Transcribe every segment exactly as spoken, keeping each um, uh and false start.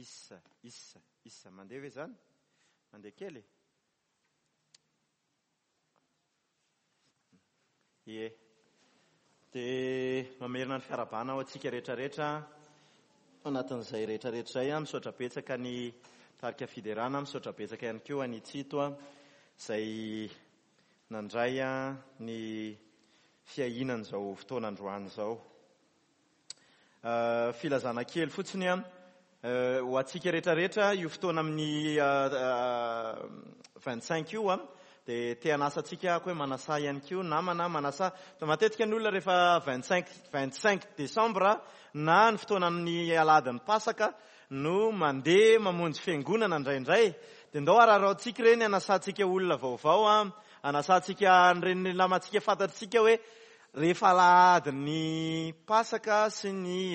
Isa, isa, isa. Mandeha ve izany? Mandeha kely? Ie. Dia mamerina ny fiarahabana ho antsika rehetrarehetra anatin'izay rehetrarehetra izay. Misaotra betsaka ny tarika fiderana, misaotra betsaka ihany koa ny Tsito izay nandray ny fiahianan'izao fotoana androany izao. Filazana kely fotsiny ho antsika rehetrarehetra io fotoana amin'ny vingt-cinq io dia te hanasa antsika ako hoe manasa ihany koa namana manasa. Matetika ny olona rehefa vingt-cinq vingt-cinq décembre na ny fotoana amin'ny alahadin'ny Pasaka no mandeha mamonjy fiangonana indraindray. Dia ndao araraotsika ireny anasantsika olona vaovao, anasantsika an'ireny namantsika fantatsika hoe rehefa alahadin'ny Pasaka sy ny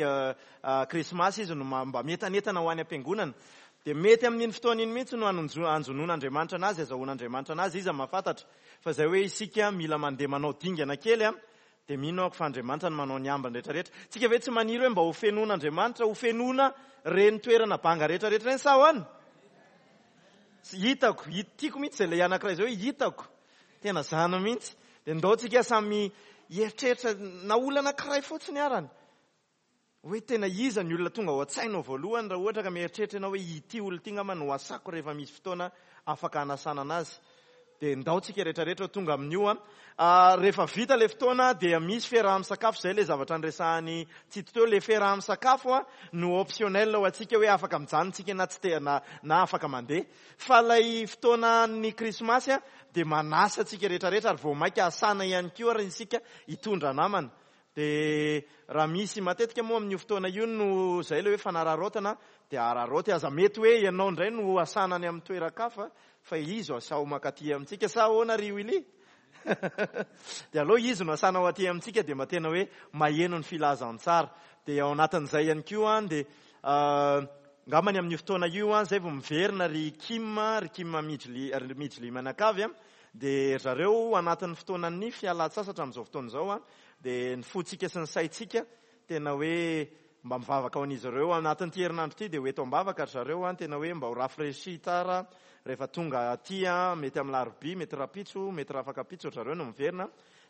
Krismasy izy no mba mientanentana ho any am-piangonana. Dia mety amin'iny fotoana iny mihitsy no anjonon'Andriamanitra anazy, azahoan'Andriamanitra anazy, iza mahafantatra. Fa izay hoe isika mila mandeha manao dingana kely, dia mino aho fa Andriamanitra no manao ny ambiny rehetrarehetra. Tsika ve tsy maniry hoe mba ho fenoan'Andriamanitra, ho fenoana ireny toerana banga rehetrarehetra ireny sa ahoana? Hitako, tiako mihitsy izay ilay anankiray izay hoe hitako. Tena zany mihitsy. Dia ndao tsika samy hieritreritra na olona anankiray fotsiny arany. Hoe tena iza ny olona tonga ao an-tsainao voalohany raha ohatra ka mieritreritra ianao hoe ity olona ity angamba no asako rehefa misy fotoana afaka hanasana anazy. Dia ndao tsika rehetrarehetra ho tonga amin'io. Rehefa vita ilay fotoana dia misy fiaraha-misakafo, izay ilay zavatra niresahan'i Tsito teo. Ilay fiaraha-misakafo no optionnel ho antsika hoe afaka mijanona tsika na tsy te, na, na afaka mandeha. Fa ilay fotoanan'ny Krismasy dia manasa antsika rehetrarehetra ary vao mainka asana ihany koa ary isika hitondra namana. Dia raha misy matetika moa amin'io fotoana io no izay ilay hoe fanararaotana, dia araraoty aza mety hoe ianao indray no asana any amin'ny toeran-kafa fa izy asao mankaty amintsika sa ahoana ry Willy? Dia aloha izy no asana ho aty amintsika dia mba tena hoe maheno ny filazantsara. Dia ao anatin'izay ihany koa dia angambany amin'io fotoana io izay vao miverina ry Kim, ry Kim Mijli, ry Mijli manakavy, dia zareo anatin'ny fotoanan'ny fialan-tsasatra amin'izao fotoana izao dia ny fontsika sy ny saintsika tena hoe mba mivavaka ho an'izy ireo anatin'ity herinandro ity dia ho eto am-bavaka ry zareo, tena hoe mba ho rafraîchi tsara rehefa tonga aty, mety amin'ny larobia, mety rapitso, mety rafakapitso ry zareo no miverina,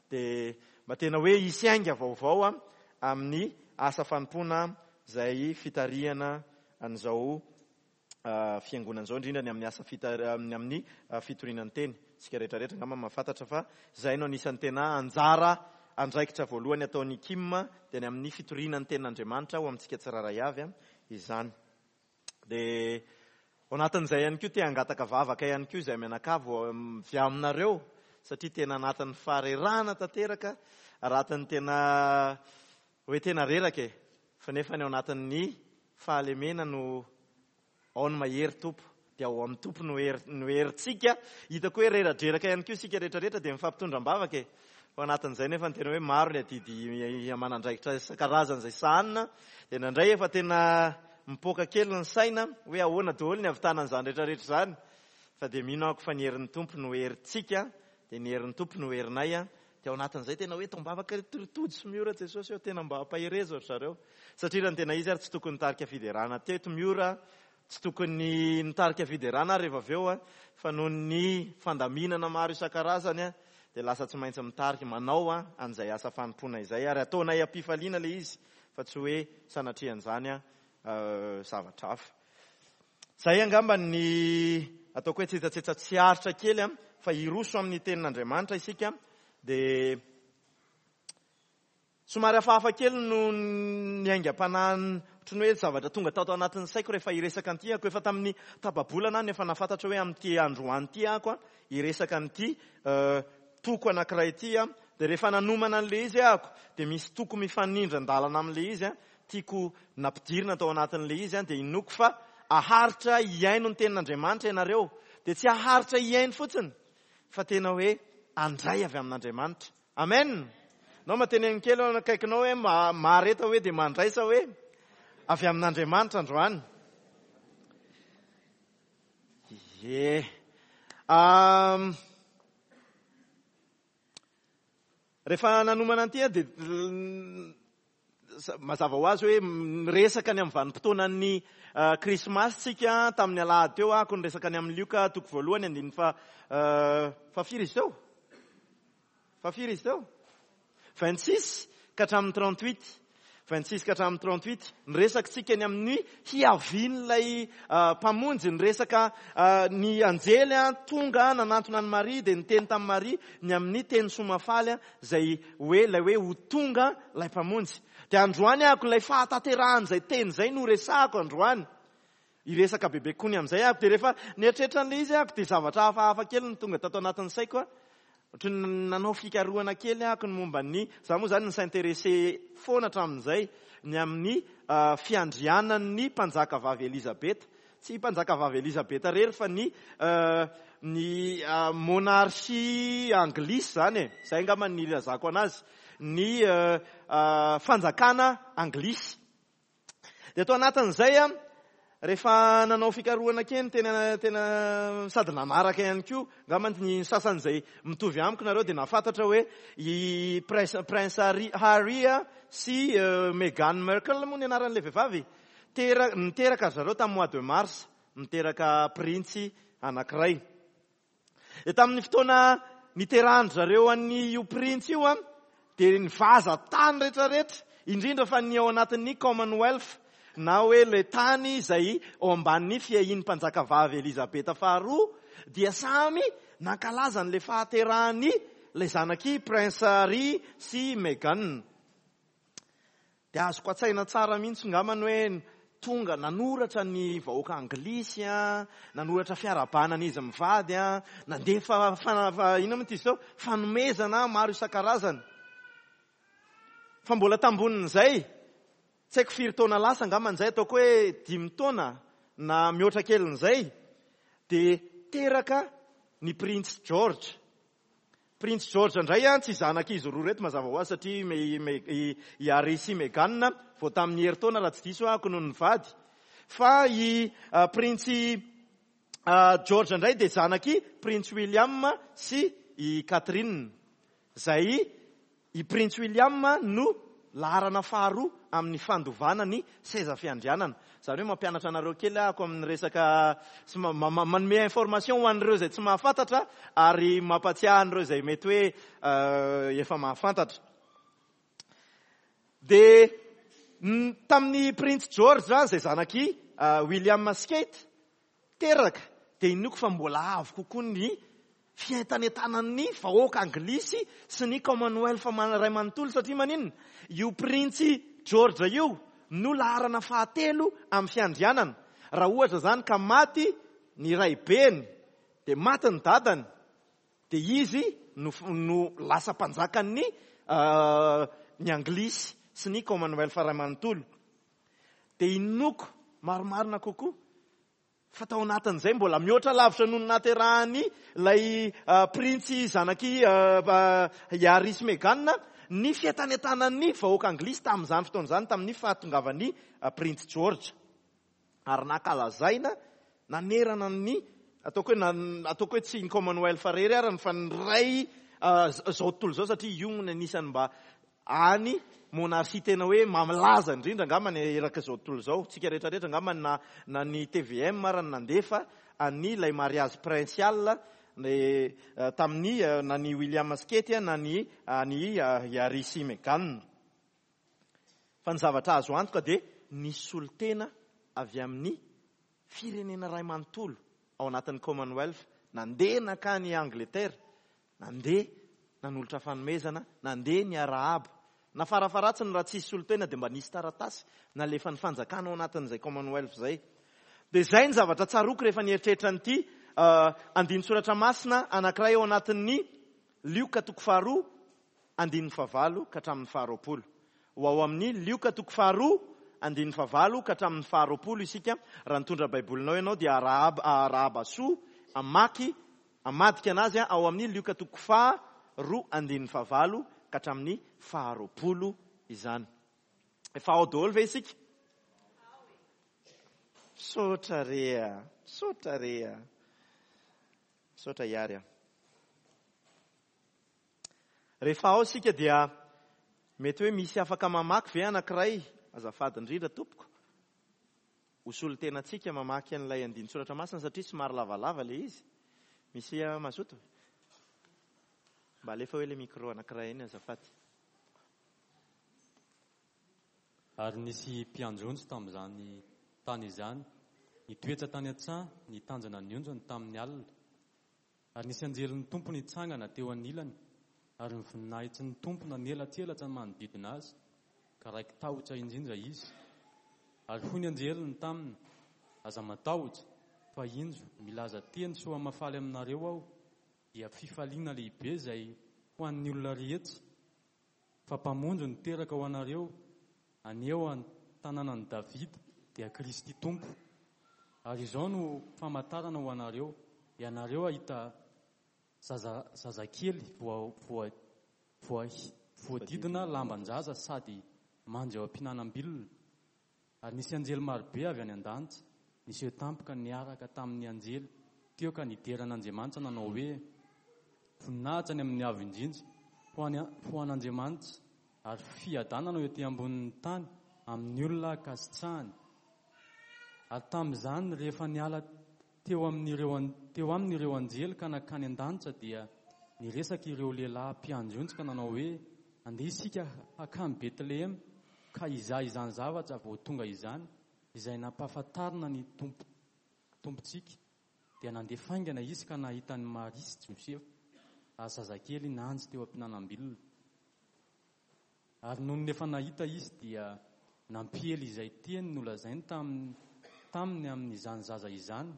dia mba tena hoe hisy ainga vaovao amin'ny asa fanompoana izay fitarihana an'izao fiangonana izao, indrindra ny amin'ny asa fitar-, amin'ny, amin'ny fitoriana ny teny. Isika rehetrarehetra angamba mahafantatra fa izay no anisan'ny tena anjara andraikitra voalohany ataon'ny Kim, dia ny amin'ny fitoriana ny tenin'Andriamanitra ho amintsika tsirairay avy izany. Dia ao anatin'izay ihany koa te hangataka vavaka ihany koa izay mianakavy avy aminareo, satria tena anatin'ny faharerahana tanteraka, anatin'ny tena hoe tena reraka e, fa nefa ny ao anatin'ny fahalemena no ao ny mahery Tompo, dia ao amin'ny Tompo no hery, no herintsika. Hitako hoe reradreraka ihany koa isika rehetrarehetra dia mifampitondra am-bavaka e. Fa anatin'izay nefa ny tena hoe maro ny adidy aman'andraikitra isan-karazany izay sahanina, dia nandray efa tena mipoaka kely ny saina hoe ahoana daholo ny hahavitana an'izany rehetrarehetra izany. Fa dia mino aho fa ny herin'ny Tompo no herintsika, dia ny herin'ny Tompo no herinay. Dia ao anatin'izay tena hoe tombavaka tojo sy miora Jesosy eo, tena mba ampaherezo ry zareo. Satria raha ny tena izy ary tsy tokony nitarika fiderana teto miora, tsy tokony nitarika fiderana rehefa avy eo, fa noho ny fandaminana maro isan-karazany dia lasa tsy maintsy mitarika manao an'izay asa fanompoana izay, ary ataonay am-pifaliana ilay izy fa tsy hoe sanatrian'izany zavatra hafa. Izay angamba ny ataoko hoe tsetsatsetsa tsy aritra kely, fa hiroso amin'ny tenin'Andriamanitra isika. Dia somary hafahafa kely no ny aingam-panahy, ohatran'ny hoe zavatra tonga tao anatin'ny saiko rehefa hiresaka an'ity ako. Efa tamin'ny tapa-bolana aho no efa nahafantatra hoe amin'ity androany ity ako hiresaka an'ity toko anankiray ity. Dia rehefa nanomana an'ilay izy ako, dia misy toko mifanindran-dalana amin'ilay izy, tiako nampidirina tao anatin'ilay izy, dia inoako fa aharitra hihaino ny tenin'Andriamanitra ianareo. Dia tsy aharitra hihaino fotsiny, fa tena hoe andray avy amin'Andriamanitra. Amen. Nao mateneniny kely eo akaikinao hoe ma-, mahareta hoe dia mandraisa hoe avy amin'Andriamanitra androany. Ie. Am, rehefa nanomana an'ity aho dia Mazava ho azy hoe miresaka ny amin'ny vanim-potoanan'ny Krismasy tsika tamin'ny alahady teo ako niresaka ny amin'ny Lioka toko voalohany andininy fa fa firy izy teo? Fa firy izy teo? vingt-six ka hatramin'ny trente-huit. vingt-six ka hatramin'ny trente-huit. Niresaka tsika ny amin'ny hiavian'ilay mpamonjy, niresaka ny anjely tonga nanantona an'i Maria dia niteny tamin'i Maria ny amin'ny teny soa mahafaly izay hoe ilay hoe ho tonga ilay mpamonjy. Dia androany ako ilay fahatanterahan'izay teny izay no resahako androany. Hiresaka bebe kokoa ny amin'izay ako. Dia rehefa nieritreritra an'ilay izy ako dia zavatra hafahafa kely no tonga tato anatin'ny saiko. Ohatry ny nanao fikarohana kely ako ny momba ny, za moa zany ni-s'intéresser foana hatramin'izay ny amin'ny fiandrianan'ny mpanjaka vavy Elizabeth. Tsy mpanjaka vavy Elizabeth irery fa ny ny monarchie anglisy zany e. Zay angamba ny ilazako anazy, ny fanjakana anglisy. Dia tao anatin'izay a, rehefa nanao fikarohana kely tena tena sady nanaraka ihany koa angamba ny sasany izay mitovy amiko nareo dia nahafantatra hoe i Prince, Prince Harry, Harry sy Meghan Markle moa ny anaran'ilay vehivavy. Tera-, niteraka zareo tamin'ny mois de mars, niteraka printsy anankiray. Dia tamin'ny fotoana niterahan-dry zareo an'io printsy io a, dia nivaza tany rehetrarehetra, indrindra fa ny ao anatin'ny Commonwealth, na hoe ilay tany izay ao ambanin'ny fiahian'ny mpanjaka vavy Elizabeth faharoa, dia samy nankalaza an'ilay fahaterahany ilay zanaky Prince Harry sy Meghan. Dia azoko an-tsaina tsara mihitsy angambany hoe tonga nanoratra ny vahoaka anglisy a, nanoratra fiarahabana an'izy mivady a, nandefa fana-, fa-, inona moa ty izy teo? Fanomezana maro isan-karazany. Fa mbola tambonin'izay, tsy haiko firy taona lasa angamba izay, ataoko hoe dimy taona na mihoatra kelin'izay, dia teraka ny Prince George. Prince George indray a, tsy zanak'izy roa reto mazava ho azy satria me-, me-, i, i Harry sy Meghan vao tamin'ny herintaona raha tsy diso aho no nivady. Fa i, uh, Prince, uh, George indray dia zanaky Prince William sy i Catherine. Izay i Prince William no laharana faharoa amin'ny fandovana ny seza fiandrianana. Izany hoe mampianatra anareo kely aho amin'ny resaka sy ma-, ma-, ma-, manome information ho an'ireo izay tsy mahafantatra ary mampatsiahy an'ireo izay mety hoe, euh, efa mahafantatra. Dia n-, tamin'ny Prince George izay zanaky, euh, William sy Kate teraka, dia inoako fa mbola avo kokoa ny fientanentanan'ny vahoaka anglisy sy ny Commonwealth man-, ray manontolo, satria maninona? Io Prince George io no laharana fahatelo amin'ny fiandrianana. Raha ohatra izany ka maty ny raibeny, dia maty ny dadany, dia izy no f-, no lasa mpanjakan'ny, euh, ny anglisy sy ny Commonwealth ray manontolo. Dia inoako marimarina kokoa fa tao anatin'izay mbola mihoatra lavitra noho ny naterahany ilay, euh, printsy zanaky, euh, euh, Harry sy Meghan ny fientanentanan'ny vahoaka anglisy tamin'izany fotoana izany, tamin'ny fahatongavan'ny, euh, Prince George. Ary nankalazaina nanerana ny, ataoko hoe na-, ataoko hoe tsy ny Commonwealth irery ary fa ny ray, euh, z-, zao tontolo izao, satria io no anisan'ny mba any monarchie tena hoe mamlaza indrindra angamba ny eraka izao tontolo izao. Tsika rehetrarehetra angamba na, na ny T V M ary ny nandefa any ilay mariage princial ny, eh, tamin'ny, eh, na ny William sy Kate, na ny, ny, eh, Harry sy Meghan. Fa ny zavatra azo antoka dia nisy solontena avy amin'ny firenena ray manontolo ao anatin'ny Commonwealth, nandeha nankany Angleterre, nandeha nanolotra fanomezana, nandeha niarahaba. Na farafaharatsiny raha tsisy solontena dia mba nisy taratasy nalefan'ny fanjakana ao anatin'izay Commonwealth izay. Dia izay ny zavatra tsaroako rehefa nieritreritra an'ity, euh, andinin-tsoratra masina anankiray ao anatin'ny Lioka toko faharoa, andininy fahavalo ka hatramin'ny faharoapolo. Ho ao amin'ny Lioka toko faharoa, andininy fahavalo ka hatramin'ny faharoapolo isika. Raha nitondra Baibolinao ianao dia arahaba, arahaba soa, amaky, amadika anazy ao amin'ny Lioka toko faharoa, andininy fahavalo ka hatramin'ny faharoapolo izany. Efa ao daholo ve isika? Misaotra re a, misaotra re a. Misaotra hiary a. Rehefa ao isika dia Mety hoe misy afaka mamaky ve anankiray? Azafady indrindra tompoko. Ho solontenantsika mamaky an'ilay andinin-tsoratra masina satria somary lavalava ilay izy. Misy mazoto? Mba alefa hoe ilay micro anankiray iny azafady. Ary nisy mpiandry tamin'izany tany izany, nitoetra tany an-tsaha, nitanjana ny ondriny tamin'ny alina. Ary nisy anjelin'ny Tompo nitsangana teo anilany, ary ny voninahitry ny Tompo nanelatselatra ny manodidina azy, ka raiki-tahotra indrindra izy. Ary hoy ny anjeliny taminy: aza matahotra, fa indro milaza teny soa mahafaly aminareo aho, dia fifaliana lehibe izay ho an'ny olona rehetra, fa mpamonjy no teraka ho anareo anio an-tanànan'i Davida, dia Kristy Tompo. Ary izao no famantarana ho anareo: ianareo hahita zaza zazakely voa voa voa voadidina lamban-jaza sady mandry ao am-pihinanam-bilona. Ary nisy anjely marobe avy any an-danitra niseho tampoka niaraka tamin'ny anjely teo ka nidera an'Andriamanitra nanao hoe: voninahitra any amin'ny avo indrindra ho an'Andriamanitra, ary fiadanana eo ety ambonin'ny tany amin'ny olona ankasitrahany. Ary tamin'izany, rehefa niala teo amin'ireo teo amin'ireo anjely ka nankany an-danitra, dia niresaka ireo lehilahy mpiandry ondry ka nanao hoe: andeha isika hankany Betlehema ka hizaha izany zavatra vao tonga izany, izay nampahafantarina ny tompo tompontsika. Dia nandeha faingana izy ka nahita an'i Maria sy Josefa ary zazakely nandry teo am-pihinanam-bilona. Ary nony efa nahita izy dia nampiely izay teny nolazainy taminy taminy amin'izany zaza izany.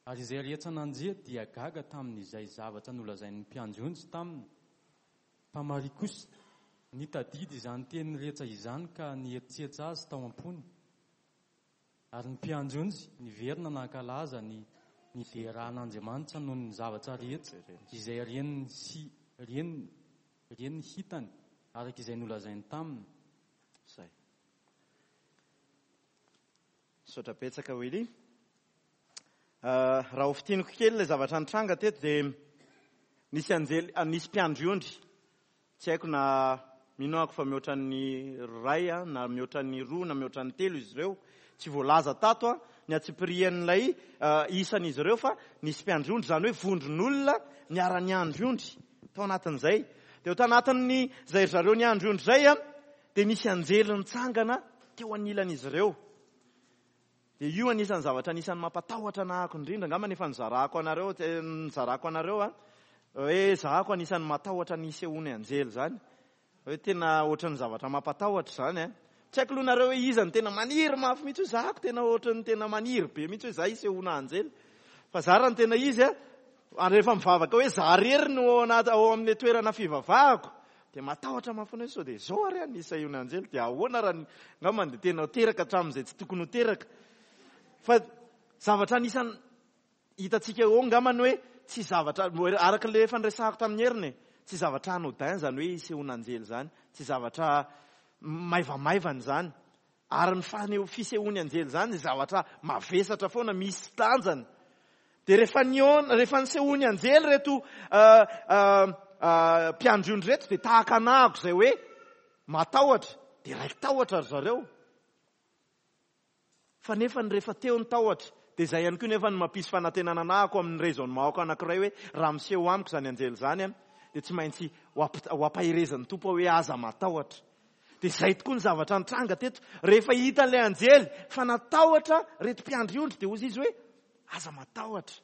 Ary izay rehetra nandre dia gaga tamin'izay zavatra nolazain'ny mpiandry ondry taminy. Fa Maria kosa nitadidy izany teny rehetra izany ka nieritreritra azy tao am-pony. Ary ny mpiandry ondry niverina nankalaza ny nideran'Andriamanitra noho ny zavatra rehetra izay reniny sy reniny reniny hitany araka izay nolazainy taminy. Zay. Misaotra betsaka Willy. Raha ho fintiniko kely ilay zavatra nitranga teto dia nisy anjely, nisy mpiandry ondry. Tsy haiko na mino aho fa mihoatra ny iray na mihoatra ny roa na mihoatra ny telo izy ireo. Tsy voalaza tato ny antsipirian'ilay isan'izy ireo fa nisy mpiandry ondry, izany hoe vondron'olona niara-niandry ondry tao anatin'izay. Dia tao anatin'ny izay ry zareo niandry ondry izay dia nisy anjely nitsangana teo anilan'izy ireo. Dia io anisan'ny zavatra anisan'ny mampatahotra anahako indrindra, angamba nefa nizarako anareo, nizarako anareo a, hoe zahako anisan'ny matahotra ny hisehoan'ny anjely izany. Hoe tena ohatran'ny zavatra mampatahotra izany a. Tsy haiko aloha nareo hoe iza no tena maniry mafy mihitsy hoe zahako tena ohatran'ny tena maniry be mihitsy hoe za hisehoana anjely. Fa za raha ny tena izy a, ary rehefa mivavaka hoe za rery no ao anaty ao amin'ny toerana fivavahako, dia matahotra mafy hoe sao dia zao ary ny hisehoana anjely, dia ahoana raha angamba dia tena teraka hatramin'izay tsy tokony ho teraka. Fa zavatra anisan'ny hitantsika eo angamba ny hoe tsy zavatra araka ilay efa niresahako tamin'ny heriny, tsy zavatra anodin izany hoe hisehoana anjely izany, tsy zavatra maivamaivana izany. Ary ny faneho fisehoan'ny anjely izany dia zavatra mavesatra foana, misy tanjany. Dia rehefa nihaona, rehefa nisehoan'ny anjely reto mpiandry ondry reto dia tahaka anahako izay hoe matahotra, dia raiki-tahotra ry zareo. Fa nefa ny rehefa teo ny tahotra, dia izay ihany koa nefa ny mampisy fanantenana anahako amin'ny raisonnement-ko anankiray hoe raha miseho amiko izany anjely izany, dia tsy maintsy ho ampaherezan'ny Tompo hoe aza matahotra. Dia izay tokoa ny zavatra nitranga teto. Rehefa hitan'ilay anjely fa natahotra reto mpiandry ondry, dia hoy izy hoe aza matahotra.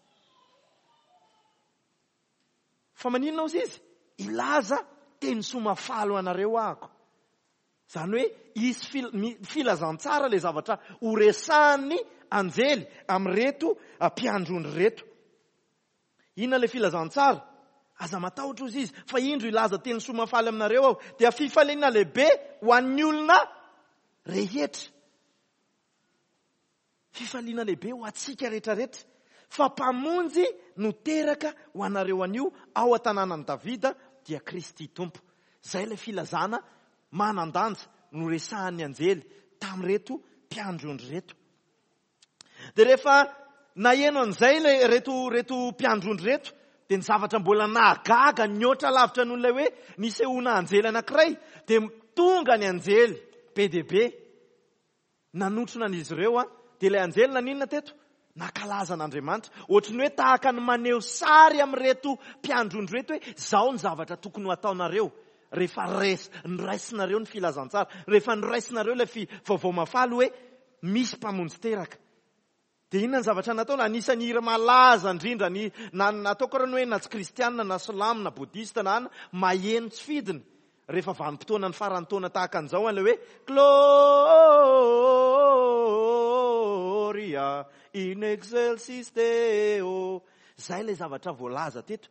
Fa maninona hoy izy? Hilaza teny soa mahafaly ho anareo ahako. Izany hoe hisy filazantsara ilay zavatra horesahan'ny anjely amin'ireto mpiandry ondry ireto. Inona ilay filazantsara? Aza matahotra hoy izy, fa indro hilaza teny soa mahafaly aminareo aho. Dia fifaliana lehibe ho an'ny olona rehetra. Fifaliana lehibe ho antsika rehetrarehetra. Fa mpamonjy no teraka ho anareo anio ao an-tanànan'i Davida, dia Kristy Tompo. Izay ilay filazana manan-danja no resahan'ny anjely tamin'ireto mpiandry ondry ireto. Dia rehefa naheno an'izay ilay reto reto mpiandry ondry ireto, Dia ny zavatra mbola nahagaga nihoatra lavitra noho ilay hoe nisehoana anjely anankiray, dia tonga ny anjely be dia be nanotrona an'izy ireo. A dia ilay anjely naninona teto? Nankalaza an'Andriamanitra. Ohatry ny hoe tahaka ny maneho sary amin'ireto mpiandry ondry ireto hoe zao ny zavatra tokony ho ataonareo rehefa res-, noraisinareo ny filazantsara, rehefa noraisinareo ilay fi-, vaovao mahafaly hoe misy mpamonjy teraka. Dia inona ny zavatra nataony? Anisan'ny hira malaza indrindra ny, na, nataoko raha ny hoe na tsy kristianina, na silamo, na bodista, na anona, maheno tsy fidiny rehefa vanim-potoana ny faran'ny taona tahaka an'izao, an'ilay hoe Gloria in excelsis Deo. Zay ilay zavatra voalaza teto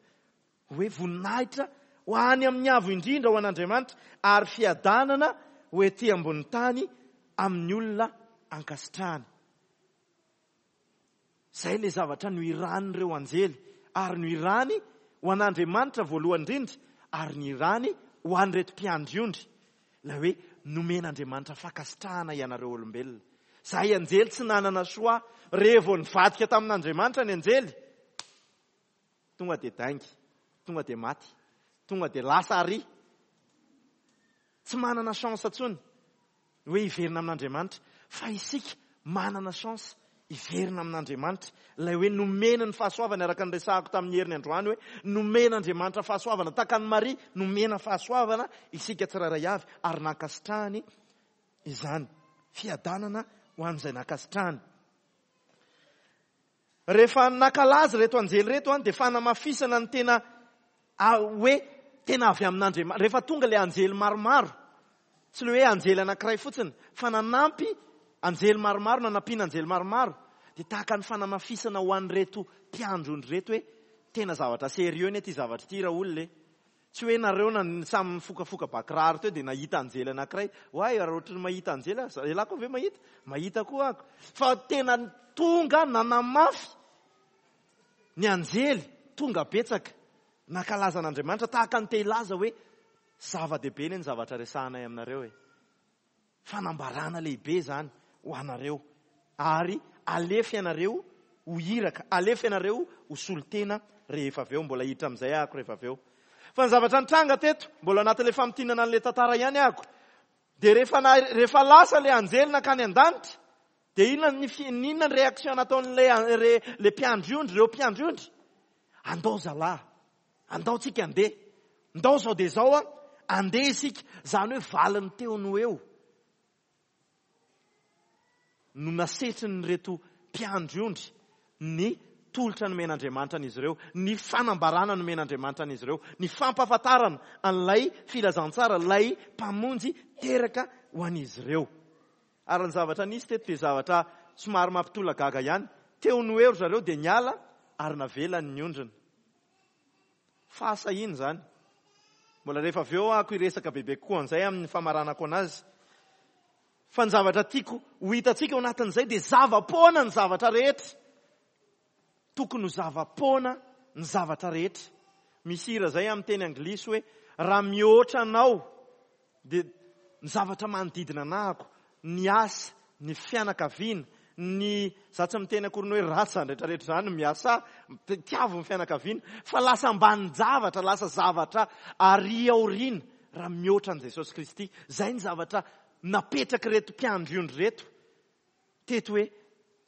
hoe voninahitra ho any amin'ny avo indrindra ho an'Andriamanitra ary fiadanana ho ety ambony tany amin'ny olona ankasitrahany. Zay ilay zavatra nohiran'ireo anjely, ary nohirany ho an'Andriamanitra voalohany indrindra, ary nohirany ho an'ireto mpiandry ondry. Ilay hoe nomen'Andriamanitra fankasitrahana ianareo olombelona. Zay anjely tsy nanana soa, rehefa nivadika tamin'Andriamanitra ny anjely, tonga dia daingy, tonga dia maty, tonga dia lasa ary. Tsy manana chance intsony hoe hiverina amin'Andriamanitra, fa isika manana chance hiverina amin'Andriamanitra. Ilay hoe nomena ny fahasoavana, araka ny resahako tamin'ny heriny androany hoe nomen'Andriamanitra fahasoavana, tahaka an'i Maria nomena fahasoavana isika tsirairay avy, ary nankasitrahany izany. Fiadanana ho an'izay nankasitrahany. Rehefa nankalaza ireto anjely ireto an, dia fanamafisana ny tena, a, hoe tena avy amin'Andriamanitra. Rehefa tonga ilay anjely maromaro, tsy ilay hoe anjely anankiray fotsiny, fa nanampy anjely maromaro, nanampiana anjely maromaro, dia tahaka ny fanamafisana ho an'ireto mpiandry ondry ireto hoe tena zavatra sérieux anie ity zavatra ity raha olona e. Tsy hoe nareo na samy mifokafoka bakiraro teo dia nahita anjely anankiray. Oay, raha ohatry ny mahita anjely aho, ialahy koa ve mahita? Mahita koa aho. Fa tena tonga nanamafy ny anjely, tonga betsaka nankalaza an'Andriamanitra, tahaka ny te hilaza hoe zava-dehibe anie ny zavatra resahanay aminareo e. Fanambarana lehibe izany ho anareo, ary alefa ianareo ho iraka, alefa ianareo ho solontena rehefa avy eo. Mbola hiditra amin'izay ahako rehefa avy eo. Fa ny zavatra nitranga teto, mbola anatin'ilay famintinana an'ilay tantara ihany ahako, dia rehefa na-, rehefa lasa ilay anjely nankany an-danitra, dia inona ny fi-, inona ny réaction nataon'ilay an-, re-, ilay mpiandry ondry, ireo mpiandry ondry? Andao zalahy, andao tsika andeha, ndao zao dia zao an, andeha isika. Izany hoe valiny teo no eo no nasetrin'ireto mpiandry ondry ny tolotra nomen'Andriamanitra an'izy ireo, ny fanambarana nomen'Andriamanitra an'izy ireo, ny fampahafantarana an'ilay filazantsara, ilay mpamonjy teraka ho an'izy ireo. Ary ny zavatra nisy teto dia zavatra somary mampitolagaga ihany. Teo no eo ry zareo dia niala ary navelany ny ondriny. Fahasahiana izany. Mbola rehefa avy eo aho hiresaka bebe kokoa an'izay amin'ny famaranako anazy. Fa ny zavatra tiako ho hitantsika ao anatin'izay dia zava-poana ny zavatra rehetra. Tokony ho zava-poana ny zavatra rehetra. Misy hira izay amin'ny teny anglisy hoe raha mihoatra anao dia ny zavatra manodidina anahako, ny asa, ny fianakaviana, ny za tsy miteny akory ny hoe ratsy izany rehetrarehetra izany, miasa, tiavo ny fianakaviana, fa lasa ambanin-javatra, lasa zavatra ary aoriana raha mihoatra an'i Jesosy Kristy. Izay ny zavatra napetraka ireto mpiandry ondry ireto teto hoe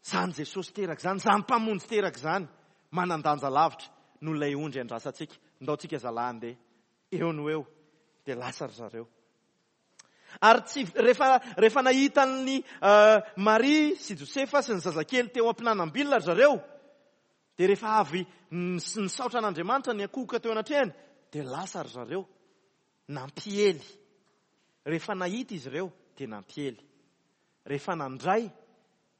izany Jesosy teraka izany, izany mpamonjy teraka izany, manan-danja lavitra noho ilay ondry andrasantsika. Ndao tsika zalahy andeha eo no eo, dia lasa ry zareo. Ary tsy rehefa, rehefa nahita an'i, eh, Maria sy Josefa sy ny zazakely teo am-pinanam-bilona ry zareo, dia rehefa avy nis-, nisaotra an'Andriamanitra ny ankohoka teo anatrehany, dia lasa ry zareo nampiely. Rehefa nahita izy ireo dia nampiely. Rehefa nandray,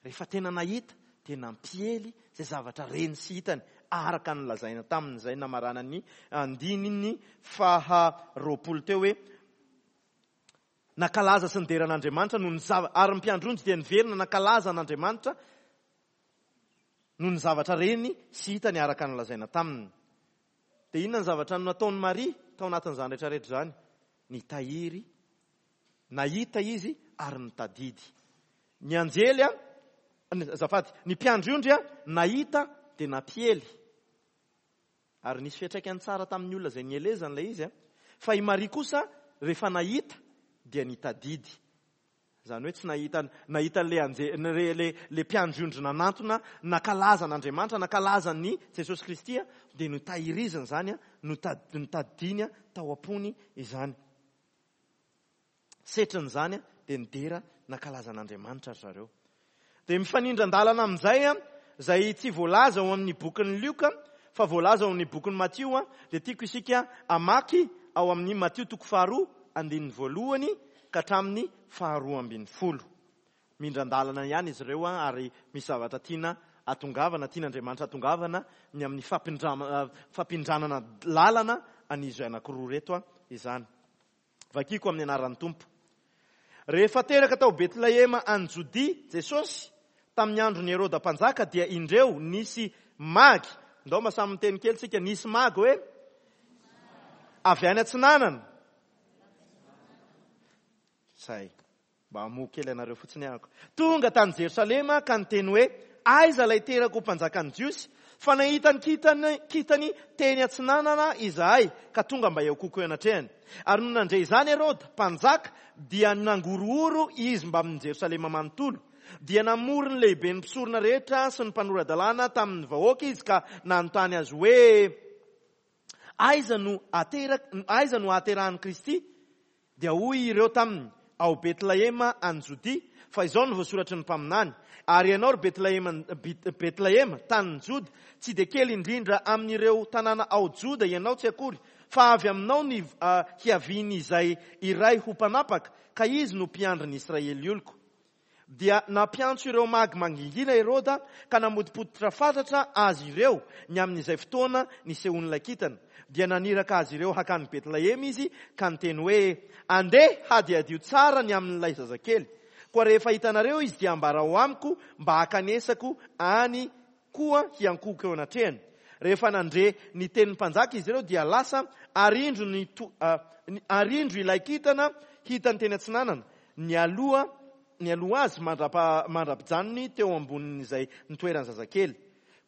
rehefa tena nahita dia nampiely izay zavatra reny sy hitany, araka ny lazaina tamin'izay namaranany andininy faha roapolo teo hoe nankalaza sy nidera an'Andriamanitra noho ny zava-, ary ny mpiandry ondry dia niverina nankalaza an'Andriamanitra noho ny zavatra reny sy hitany araka ny lazaina taminy. Dia inona ny zavatra nataon'i Maria tao anatin'izany rehetrarehetra izany? Nitahiry, nahita izy ary nitadidy. Ny anjely a, azafady, ny mpiandry ondry a, nahita dia nampiely. Ary nisy fiantraikany tsara tamin'ny olona izay nielezany ilay izy. Fa i Maria kosa rehefa nahita dia nitadidy. Izany hoe tsy nahita, nahita an'ilay anje-, le, le, le mpiandry ondry nanantona, nankalaza an'Andriamanitra, nankalaza an'i Jesosy Kristy, dia notahiriziny izany, notad-, notadidiny tao am-pony izany. Setriny izany dia nidera nankalaza an'Andriamanitra ry zareo. Dia mifanindran-dalana amin'izay, izay tsy voalaza ao amin'ny bokin'ny Lioka, fa voalaza ao amin'ny bokin'ny Matio, dia tiako isika hamaky ao amin'ny Matio toko faharoa, andininy voalohany ka hatramin'ny faharoa ambin'ny folo. Mindran-dalana ihany izy ireo, ary misy zavatra tiana atongavana, tian'Andriamanitra atongavana ny amin'ny fampindrama-, fampindranana lalana an'izy anankiroa ireto izany. Vakiko amin'ny anaran'ny Tompo. Rehefa teraka tao Betlehema any Jodia Jesosy tamin'ny andron'i Heroda mpanjaka, dia indreo nisy magy. Ndao mba samy miteny kely tsika, nisy magy hoe avy any atsinanana. Zay, mba hamoha kely anareo fotsiny ahako. Tonga tany Jerosalema ka niteny hoe, aiza ilay teraka ho mpanjakan'ny Jiosy? Fa nahita ny kintany, kintany teny atsinanana izahay, ka tonga mba hiankohoka eo anatrehany. Ary nony nandre izany Heroda mpanjaka, dia nangorohoro izy mbamin'ny Jerosalema manontolo. Dia namory ny lehiben'ny mpisorona rehetra sy ny mpanora-dalàna tamin'ny vahoaka izy, ka nanontany azy hoe, aiza no aterak-, aiza no ahaterahan'i Kristy? Dia hoy ireo taminy, ao Betlehema any Jodia, fa izao no voasoratry ny mpaminany. Ary ianao ry Betlehema, Betlehema, tanin'i Joda, tsy dia kely indrindra amin'ireo tanàna ao Joda ianao tsy akory, fa avy aminao ny, ah, hiavian'izay iray ho mpanapaka, ka izy no mpiandry ny Israely oloko. Dia nampiantso ireo magy mangingina Heroda, ka namotipotitra fatratra azy ireo ny amin'izay fotoana nisehoan'ilay kintana. Dia naniraka azy ireo hakany Betlehema izy, ka niteny hoe, andeha hadihadio tsara ny amin'ilay zazakely. Koa rehefa hitanareo izy dia ambarao amiko mba hakanesako any koa hiankohoka eo anatrehany. Rehefa nandre ny tenin'ny mpanjaka izy ireo dia lasa, ary indro ny to-, ah, ny, ary indro ilay kintana hitany teny atsinanana, nialoha, nialoha azy mandrapa-, mandra-pijanony teo ambonin'izay nitoeran'ny zazakely.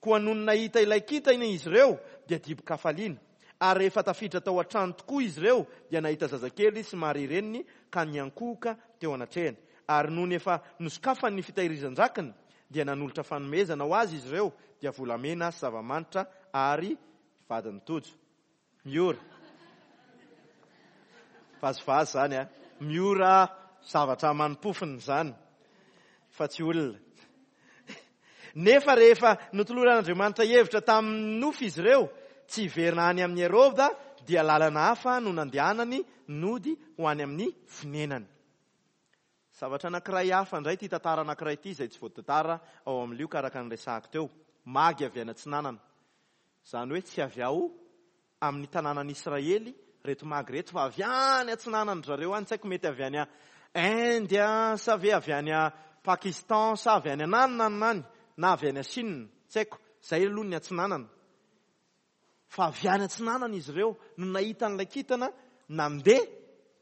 Koa nony nahita ilay kintana izy ireo dia dibo-kafaliana. Ary rehefa tafiditra tao an-trano tokoa izy ireo dia nahita zazakely sy Maria reniny ka niankohoka teo anatrehany. Ary nony efa nosokafany ny fitahirizan-drakiny dia nanolotra fanomezana ho azy izy ireo, dia volamena sy zava-manitra ary vadiny tojo. Miora. Vazivazy izany, a. Miora zavatra manim-pofona izany, fa tsy olona. Nefa rehefa notoloran'Andriamanitra hevitra tamin'ny nofy izy ireo, tsy hiverina any amin'ny Heroda, dia lalana hafa no nandehanany nody ho any amin'ny fonenany. Zavatra anankiray hafa indray ity tantara anankiray ity, izay tsy voatantara ao amin'ny Lioka araka ny resahako teo. Magy avy any atsinanana. Izany hoe tsy avy ao amin'ny tanànan'Israely reto magy reto, fa avy any atsinanana zareo any. Tsy haiko mety avy any Inde, sa ve avy any Pakistan, sa avy any ananana any, na avy any Chine, tsy haiko. Izay aloha ny atsinanana. Fa avy any atsinanana izy ireo no nahita an'ilay kintana nandeha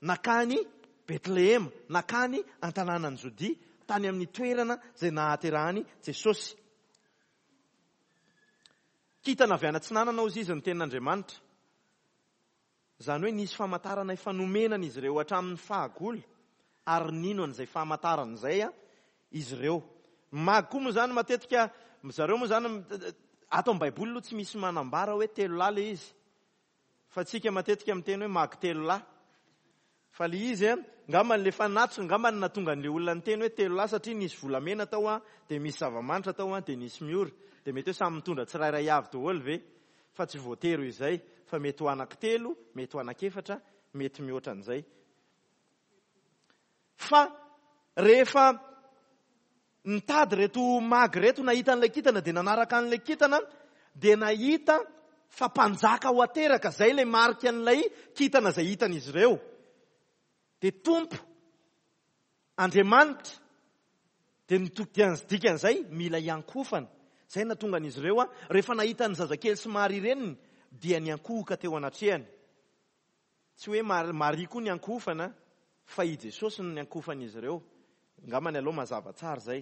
nakany Betlehema, nakany an-tanànan'i Jodia, tany amin'ny toerana izay nahaterahany Jesosy. Kintana avy any atsinanana hozy izy ny tenin'Andriamanitra. Izany hoe nisy famantarana efa nomenana izy ireo hatramin'ny fahagola, ary nino an'izay famantarana izay a, izy ireo. Magy koa moa izany matetika, zareo moa izany, ato amin'ny Baiboly aloha tsy misy manambara hoe telo lahy ilay izy. Fa tsika matetika miteny hoe magy telo lahy. Fa ilay izy a, angamba ilay fanatitra, angamba ny nahatonga an'ilay olona niteny hoe telo lahy, satria nisy volamena tao a, dia misy zava-manitra tao a, dia nisy miora. Dia mety hoe samy mitondra tsirairay avy daholo ve? Fa tsy voatery izay, fa mety ho anankitelo, mety ho anankiefatra, mety mihoatra an'izay. Fa rehefa nitady reto magy reto nahita an'ilay kintana, dia nanaraka an'ilay kintana, dia nahita fa mpanjaka ho ateraka, izay ilay marika an'ilay kintana izay hitan'izy ireo. Dia Tompo Andriamanitra, dia ny to-, dia ny dikan'izay mila hiankohofana. Izay nahatonga an'izy ireo, a, rehefa nahita ny zazakely sy Maria reniny, dia niankohoka teo anatrehany. Tsy hoe Mar-, Maria koa niankohofana, fa i Jesosy no niankohofan'izy ireo. Angamba ny aloha mazava tsara izay.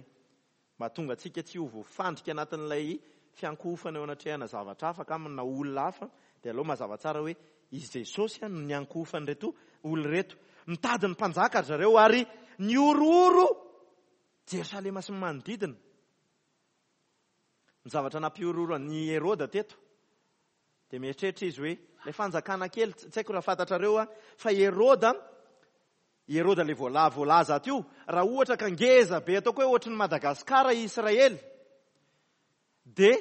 Mahatonga antsika tsy ho voafandrika anatin'ilay fiankohofana eo anatrehana zavatra hafa ka na olona hafa, dia aleo mazava tsara hoe izy Jesosy no niankohofan'ireto olona ireto. Mitady ny mpanjaka ry zareo ary nihorohoro Jerosalema sy ny manodidina. Ny zavatra nampihorohoro an'i Heroda teto dia mieritreritra izy hoe ilay fanjakana kely, tsy haiko raha fantatrareo a, fa Heroda, Heroda ilay voala-, voalaza ato io, raha ohatra ka ngeza be ataoko hoe ohatry ny Madagasikara i Israely, dia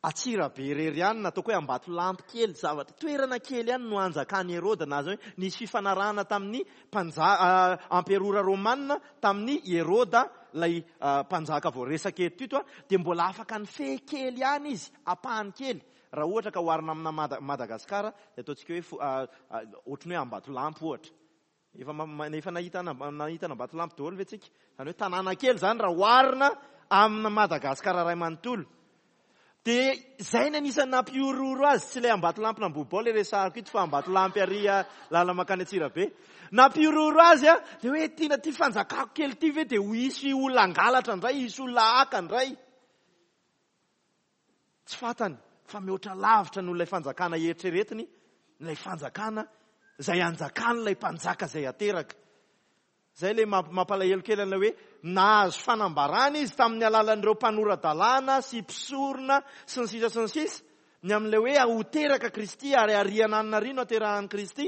Antsirabe irery ihany, na ataoko hoe Ambatolampy kely, zavatra toerana kely ihany no anjakan'i Heroda, na zany hoe nisy fifanarahana tamin'ny mpanja-, ah, amperora romana tamin'ny Heroda, ilay, ah, mpanjaka voaresaka eto ito, dia mbola afaka nifehy kely ihany izy, ampahany kely. Raha ohatra ka oharina amina Mada-, Madagasikara, dia ataontsika hoe fo-, ah, ah, ohatry ny hoe Ambatolampy ohatra. Efa ma-, ma-, efa nahita ana-, nahita an'Ambatolampy daholo ve tsika? Zany hoe tanàna kely zany raha oharina amina Madagasikara iray manontolo. Dia izay ny anisan'ny nampihorohoro azy, tsy ilay Ambatolampy Nambohibao ilay resahako ito fa Ambatolampy ary lalana mankany Antsirabe. Nampihorohoro azy a, dia hoe tiana ty fanjakako kely ty ve dia ho hisy olona hangalatra indray, hisy olona haka indray. Tsy fantany fa mihoatra lavitra noho ilay fanjakana eritreretiny, ilay fanjakana izay anjakan'ilay mpanjaka izay ateraka. Izay ilay mamp-, mampalahelo kely an'ilay hoe nahazo fanambarana izy tamin'ny alalan'ireo mpanora-dalàna sy mpisorona sy ny sisa sy ny sisa, ny amin'ilay hoe ho teraka Kristy ary ariana anina ary no aterahan'i Kristy.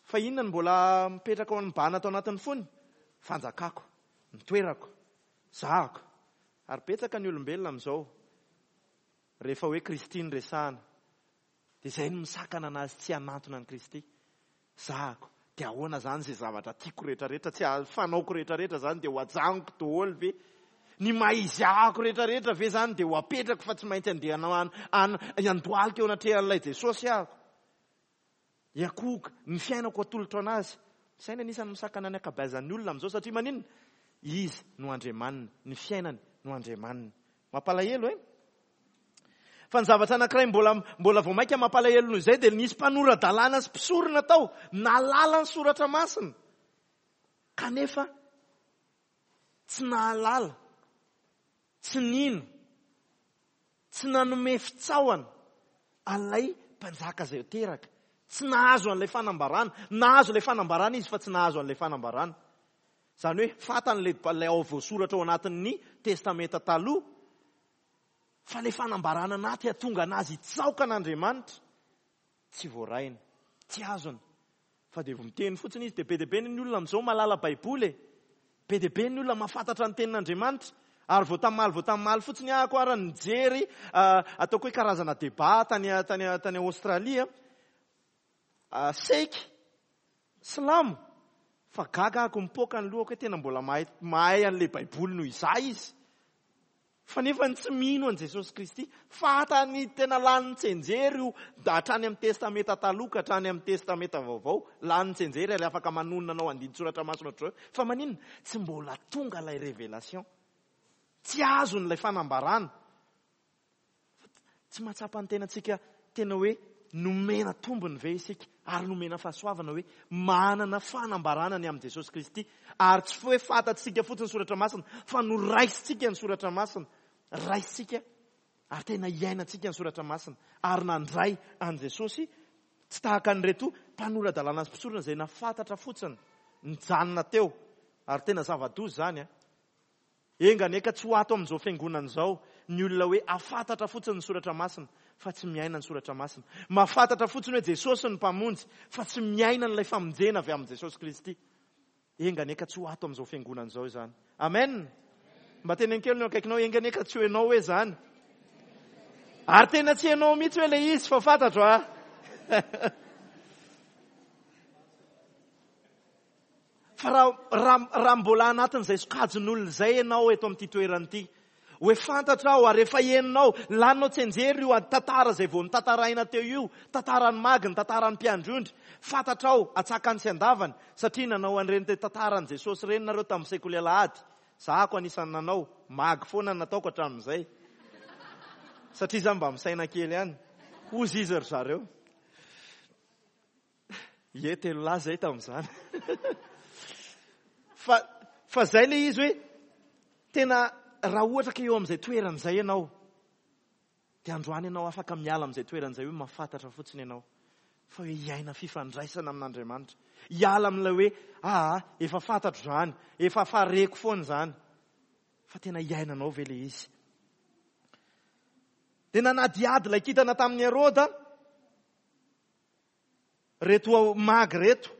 Fa inona no mbola mipetraka ao amin'ny bana tao anatin'ny fony? Fanjakako, ny toerako, zahako. Ary betsaka ny olombelona amin'izao rehefa hoe Kristy no resahana, dia izay no misakana anazy tsy hanantona an'i Kristy. Zahako. Dia ahoana zany izay zavatra tiako rehetrarehetra, tsy fanaoko rehetrarehetra zany dia ho ajanoko daholo ve? Ny maha izy ahako rehetrarehetra ve zany dia ho apetrako fa tsy maintsy andeha hanao an-, an-, handohalika eo anatrehan'ilay Jesosy aho? Hiakohoka, ny fiainako atolotro anazy. Izay no anisan'ny misakana ny ankabeazan'ny olona amin'izao, satria maninona? Izy no Andriamaniny, ny fiainany no Andriamaniny. Mampalahelo, eh? Fa ny zavatra anankiray mbola, mbola vao mainka mampalahelo noho izay dia nisy mpanora-dalàna sy mpisorona tao, nahalala ny soratra masina. Kanefa tsy nahalala, tsy nino, tsy nanome fitsaohana an'ilay mpanjaka izay teraka. Tsy nahazo an'ilay fanambarana. Nahazo ilay fanambarana izy fa tsy nahazo an'ilay fanambarana. Izany hoe fantany ilay, ilay ao voasoratra ao anatin'ny Testamenta taloha, fa ilay fanambarana anaty hahatonga anazy hitsaoka an'Andriamanitra tsy voarainy, tsy azony. Fa dia miteny fotsiny izy, dia be dia be ny olona amin'izao mahalala Baiboly e. Be dia be ny olona mahafantatra ny tenin'Andriamanitra. Ary vao tamaly, vao tamaly fotsiny aho koa ary nijery, ah, ataoko hoe karazana débat tany, tany, tany Aostralia. Ah, seiky, silamo, fa gaga ako mipoaka ny lohako hoe tena mbola mahay, mahay an'ilay Baiboly noho izaho izy. Fa nefa ny tsy mino an'i Jesosy Kristy, fantany tena lany tsenjery io, da hatrany amin'ny Testamenta taloha ka hatrany amin'ny Testamenta vaovao, lany tsenjery ary afaka manonona anao andinin-tsoratra masina ohatr'izao. Fa maninona? Tsy mbola tonga ilay révélation. Tsy azony ilay fanambarana. Tsy mahatsapa ny tenantsika tena hoe nomena tombony ve isika ary nomena fahasoavana hoe manana fanambarana ny amin'i Jesosy Kristy. Ary tsy hoe fantatsika fotsiny ny soratra masina fa noraisintsika ny soratra masina. Raisintsika ary tena iainantsika ny soratra masina. Ary nandray an'i Jesosy tsy tahaka an'ireto mpanora-dalàna sy mpisorona izay nafantatra fotsiny, nijanona teo. Ary tena zava-doza izany, a. Enga anie ka tsy ho ato amin'izao fiangonana izao ny olona hoe afantatra fotsiny ny soratra masina fa tsy miaina ny soratra masina. Mahafantatra fotsiny hoe Jesosy no mpamonjy fa tsy miaina an'ilay famonjena avy amin'i Jesosy Kristy. Enga anie ka tsy ho ato amin'izao fiangonana izao izany. Amen. Mba teneno kely ny eo akaikinao, enga anie ka tsy ho ianao hoe izany. Ary tena tsy ianao mihitsy hoe ilay izy fa fantatro, a. Fa raha, raha, raha mbola anatin'izay sokajin'olona izay ianao eto amin'ity toerana ity, hoe fantatra aho ary efa henonao, laninao tsenjery io tantara izay vao notantaraina teo io, tantaran'ny magy, ny tantaran'ny mpiandry ondry, fantatra aho atsakany sy andavany, satria nanao an'ireny tantaran'i Jesosy ireny nareo tamin'ny sekoly alahady. Za ko anisan'ny nanao, magy foana no nataoko hatramin'izay. Satria za mba misaina kely ihany. Hozy izy ry zareo. Ie, telo lahy zay tamin'izany. Fa, fa zay le izy hoe tena raha ohatra ka eo amin'izay toerana izay ianao, Dia androany ianao afaka miala amin'izay toerana izay hoe mahafantatra fotsiny ianao, fa hoe hiaina fifandraisana amin'Andriamanitra. Hiala amin'ilay hoe aa efa fantatro izany, efa fareko foana izany, fa tena hiainanao ve ilay izy? Dia nanadihady ilay kintana tamin'i Heroda reto magy reto,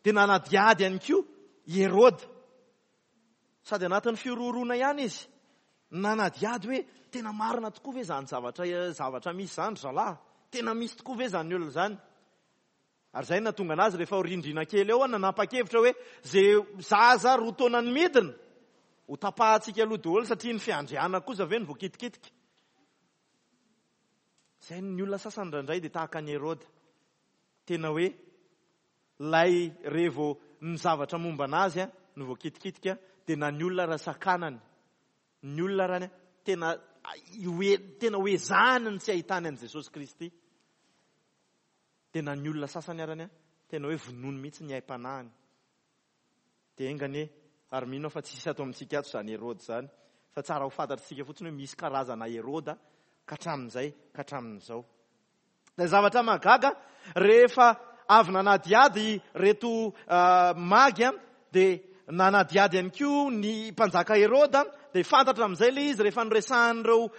dia nanadihady ihany koa i Heroda. Sady anatin'ny fihorohoroana ihany izy, nanadihady hoe tena marina tokoa ve izany zavatra, zavatra misy izany ry zalahy? Tena misy tokoa ve izany olona izany? Ary izay no nahatonga anazy rehefa rindrina kely eo, nanapa-kevitra hoe izay zaza roa taona ny midina ho tapahantsika aloha daholo, satria ny fiandrianana kosa ve no voakitikitika. Izay ny olona sasany indraindray dia tahaka an'i Heroda. Tena hoe lay revo ny zavatra momba anazy no voakitikitika, dia na ny olona raha sakanany, ny olona raha tena hoe, tena hoe ezahany ny tsy ahitany an'i Jesosy Kristy. Dia na ny olona sasany arany, tena hoe vonono mihitsy ny aim-panahiny. Dia enga anie, ary mino aho fa tsisy ato amintsika ato izany Heroda izany, fa tsara ho fantatsika fotsiny hoe misy karazana Heroda ka hatramin'izay ka hatramin'izao. Dia zavatra mahagaga, rehefa avy nanadihady reto magy, dia nanadihady ihany koa ny mpanjaka Heroda, dia fantatra amin'izay ilay izy rehefa noresahan'ireo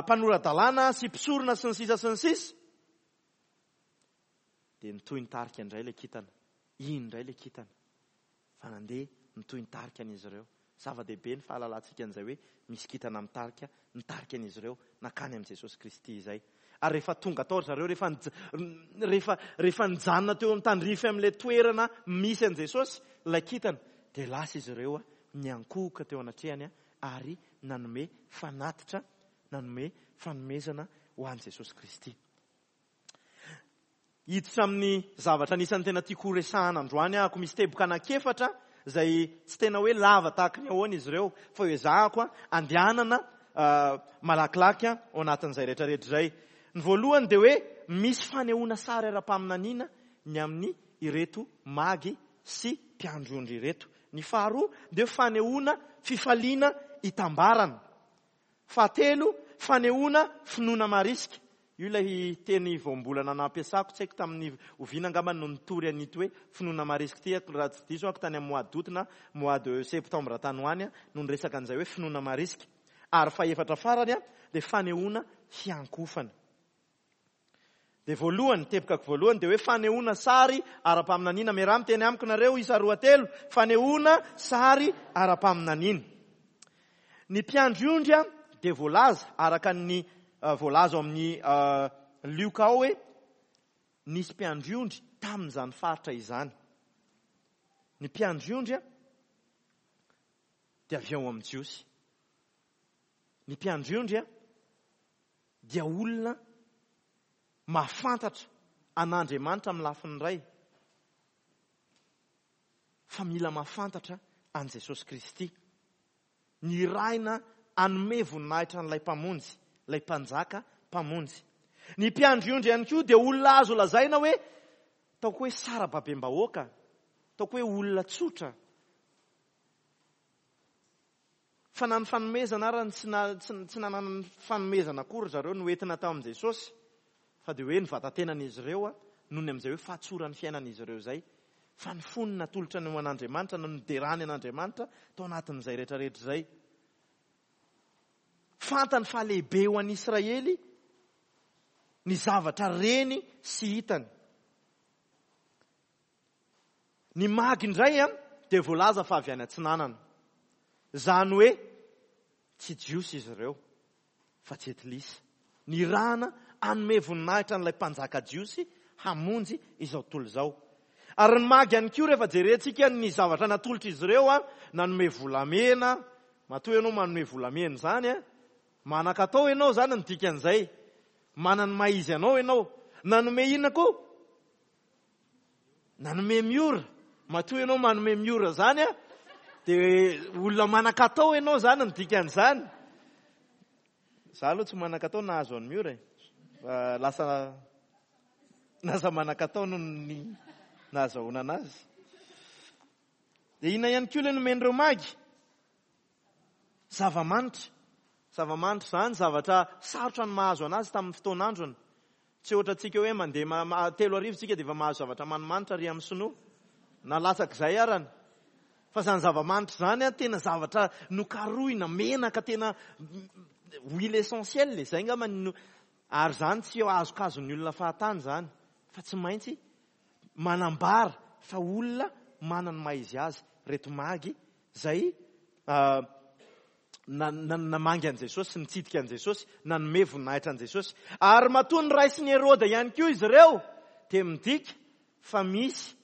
mpanora-dalàna sy mpisorona sy ny sisa sy ny sisa. Dia nitohy nitarika indray ilay kintana. Iny indray ilay kintana. Fa nandeha nitohy nitarika an'izy ireo. Zava-dehibe ny fahalalantsika an'izay hoe misy kintana mitarika, mitarika an'izy ireo nankany amin'i Jesosy Kristy izay. Ary rehefa tonga tao ry zareo, rehefa nij-, rehefa, rehefa nijanona teo amin'ny tandrify amin'ilay toerana misy an'i Jesosy, ilay kintana, dia lasa izy ireo niankohoka teo anatrehany ary nanome fanatitra, nanome fanomezana ho an'i Jesosy Kristy. Hiditra amin'ny zavatra anisan'ny tena tiako ho resahana androany aho, misy teboka anankiefatra izay tsy tena hoe lava tahaka ny ahoana izy ireo, fa ho ezahako andehanana malakilaky ao anatin'izay rehetrarehetra izay. Ny voalohany dia hoe misy fanehoana sary ara-paminaniana ny amin'ny ireto magy sy mpiandry ondry ireto. Ny faharoa dia fanehoana fifaliana hitambarana. Fahatelo, fanehoana finoana marisika. Io ilay teny voambolana nampiasako, tsy haiko tamin'ny oviana angamba no nitory an'ito hoe finoana marisika ity, raha tsy diso aho tany amin'ny mois d'août na mois de septembre tany ho any no niresaka an'izay hoe finoana marisika. Ary fahefatra farany dia fanehoana fiankofana. Dia voalohany, tebokako voalohany dia hoe fanehoana sary ara-paminaniana. Miaraha miteny amiko nareo, isa roa telo, fanehoana sary ara-paminaniana. Ny mpiandry ondry dia voalaza araka ny voalaza ao amin'ny Lioka ao hoe nisy mpiandry ondry tamin'izany faritra izany. Ny mpiandry ondry dia avy ao amin'ny Jiosy. Ny mpiandry ondry dia olona mahafantatra an'Andriamanitra amin'ny lafiny iray, fa mila mahafantatra an'i Jesosy Kristy. Nirahina hanome voninahitra an'ilay Mpamonjy, ilay Mpanjaka Mpamonjy. Ny mpiandry ondry ihany koa dia olona azo lazaina hoe ataoko hoe sarababem-bahoaka, ataoko hoe olona tsotra. Fa na ny fanomezana ary tsy na-, tsy, tsy nanana ny fanomezana akory zareo no entina tao amin'i Jesosy, fa dia hoe ny vatatenan'izy ireo noho ny amin'izay hoe fahatsoran'ny fiainan'izy ireo izay, fa ny fony natolotra ny ho an'Andriamanitra, no niderany an'Andriamanitra tao anatin'izay rehetrarehetra izay. Fantany fa lehibe ho an'i Israely ny zavatra reny sy hitany. Ny magy indray dia voalaza fa avy any atsinanana. Izany hoe tsy Jiosy izy ireo fa Jentilisa. Nirahana hanome voninahitra an'ilay mpanjaka Jiosy hamonjy izao tontolo izao. Ary ny magy ihany koa rehefa jerentsika ny zavatra natolotra izy ireo, nanome volamena. Matoa ianao manome volamena izany, manan-katao ianao izany ny dikan'izay. Manana ny maha izy anao ianao. Nanome inona koa? Nanome miora. Matoa ianao manome miora izany, dia olona manan-katao ianao izany ny dikan'izany. Za aloha tsy manan-katao nahazo an'ny miora e. Fa lasa, lasa manan-katao noho ny nahazahoana anazy. Dia inona ihany koa ilay nomen'ireo magy? Zava-manitra. Zava-manitra izany zavatra sarotra ny mahazo anazy tamin'ny fotoan'androny. Tsy ohatra antsika hoe mandeha ma-, ma-, telo arivo tsika dia efa mahazo zavatra manimanitra ary amin'ny sinoa. Na latsak'izay arany. Fa izany zava-manitra izany a, tena zavatra nokarohina, menaka, tena huile essentielle, izay angamba no, ary izany tsy azokazon'ny olona fahatany izany, fa tsy maintsy manambara fa olona manana ny maha izy azy reto magy izay, ah, na-, na-, namangy an'i Jesosy, nitsidika an'i Jesosy, nanome voninahitra an'i Jesosy. Ary matoa ny raisin'i Heroda ihany koa izy ireo, dia midika fa misy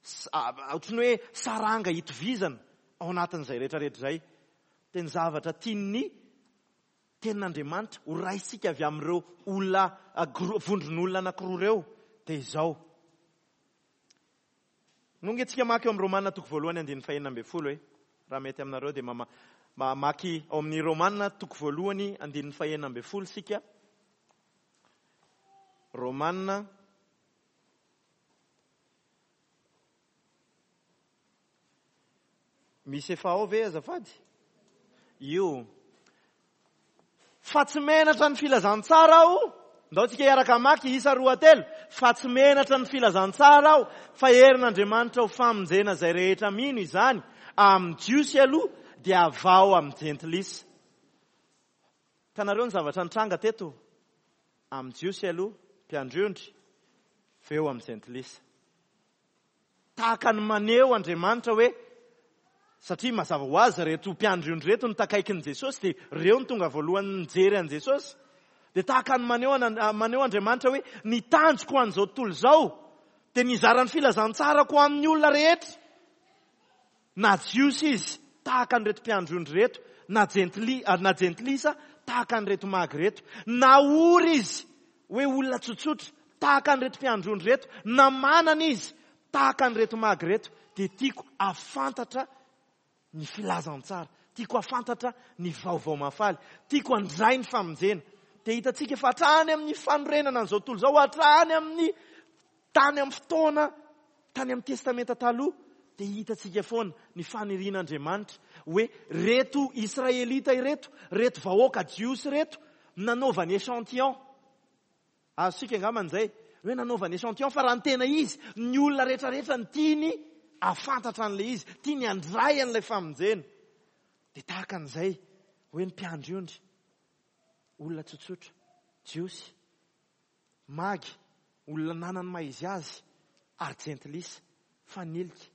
s-, ah, ohatran'ny hoe saranga hitovizana ao anatin'izay rehetrarehetra izay. Dia ny zavatra tian'ny tenin'Andriamanitra ho raisika avy amin'ireo olona, ah, gro-, vondron'olona anankiroa ireo, dia izao. Nonga antsika mamaky eo amin'ny Romana toko voalohany andininy fahenina ambin'ny folo e. Raha mety aminareo dia mama-, mamaky ao amin'ny Romana toko voalohany andininy fahenina ambin'ny folo isika. Romana misy efa ao ve azafady? Io. Fa tsy menatra ny filazantsara aho. Ndao tsika hiaraka hamaky isa roa telo. Fa tsy menatra ny filazantsara aho, fa herin'Andriamanitra ho famonjena izay rehetra mino izany, amin'ny Jiosy aloha dia avao amin'ny Jentilisa. Hitanareo ny zavatra nitranga teto? Amin'ny Jiosy aloha, mpiandry ondry, fa eo amin'ny Jentilisa. Tahaka ny maneho Andriamanitra hoe, satria mazava ho azy reto mpiandry ondry reto no takaikin'i Jesosy, dia reo no tonga voalohany nijery an'i Jesosy. Dia tahaka ny maneho an-, maneho Andriamanitra hoe ny tanjoko ho an'izao tontolo izao dia nizara ny filazantsarako amin'ny olona rehetra. Na Jiosy izy tahaka an'ireto mpiandry ondry ireto, na jentili-, na jentilisa tahaka an'ireto magy ireto, na ory izy hoe olona tsotsotra tahaka an'ireto mpiandry ondry ireto, na manana izy tahaka an'ireto magy ireto, dia tiako hahafantatra ny filazantsara, tiako hahafantatra ny vaovao mahafaly, tiako handray ny famonjena. Dia hitantsika fa hatrany amin'ny fanorenana an'izao tontolo izao, hatrany amin'ny tany amin'ny fotoana, tany amin'ny testamenta taloha, dia hitantsika foana ny fanirian'Andriamanitra hoe reto Israelita ireto, reto vahoaka Jiosy ireto, nanaovany échantillon. Azontsika angamba izay, hoe nanaovany échantillon, fa raha ny tena izy, ny olona rehetrarehetra ny tiany hahafantatra an'ilay izy, tiany handray an'ilay famonjena. Dia tahaka an'izay, hoe ny mpiandry ondry, olona tsotsotra, Jiosy, magy, olona nanana ny maha izy azy, ary jentilisa, fanilika,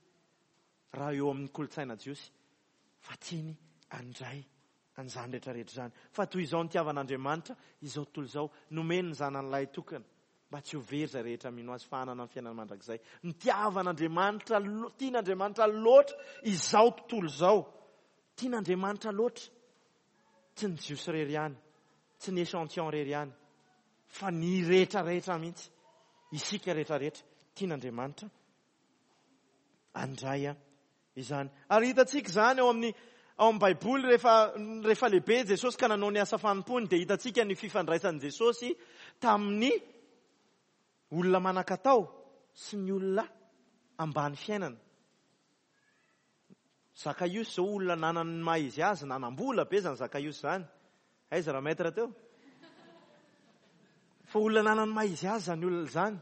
raha eo amin'ny kolontsaina Jiosy, fa tiany handray an'izany rehetrarehetra izany. Fa toy izao nitiavan'Andriamanitra, izao tontolo izao, nomeny ny zanany lahy tokana, mba tsy ho very izay rehetra mino azy fa hanana ny fiainana mandrakizay. Nitiavan'Andriamanitra lo-, tian'Andriamanitra loatra izao tontolo izao. Tian'Andriamanitra loatra. Tsy ny Jiosy irery ihany, tsy ny échantillon irery ihany, fa ny rehetrarehetra mihitsy. Isika rehetrarehetra tian'Andriamanitra handray izany. Ary hitantsika izany ao amin'ny, ao amin'ny Baiboly, rehefa, rehefa lehibe Jesosy ka nanao ny asa fanompoany, dia hitantsika ny fifandraisan'i Jesosy tamin'ny olona manan-katao sy ny olona ambany fiainana. Zakaiosy izao olona nanana ny maha izy azy, nanam-bola be izany Zakaiosy izany. Aiza raha maître teo? Fa olona nanana ny maha izy azy izany olona izany.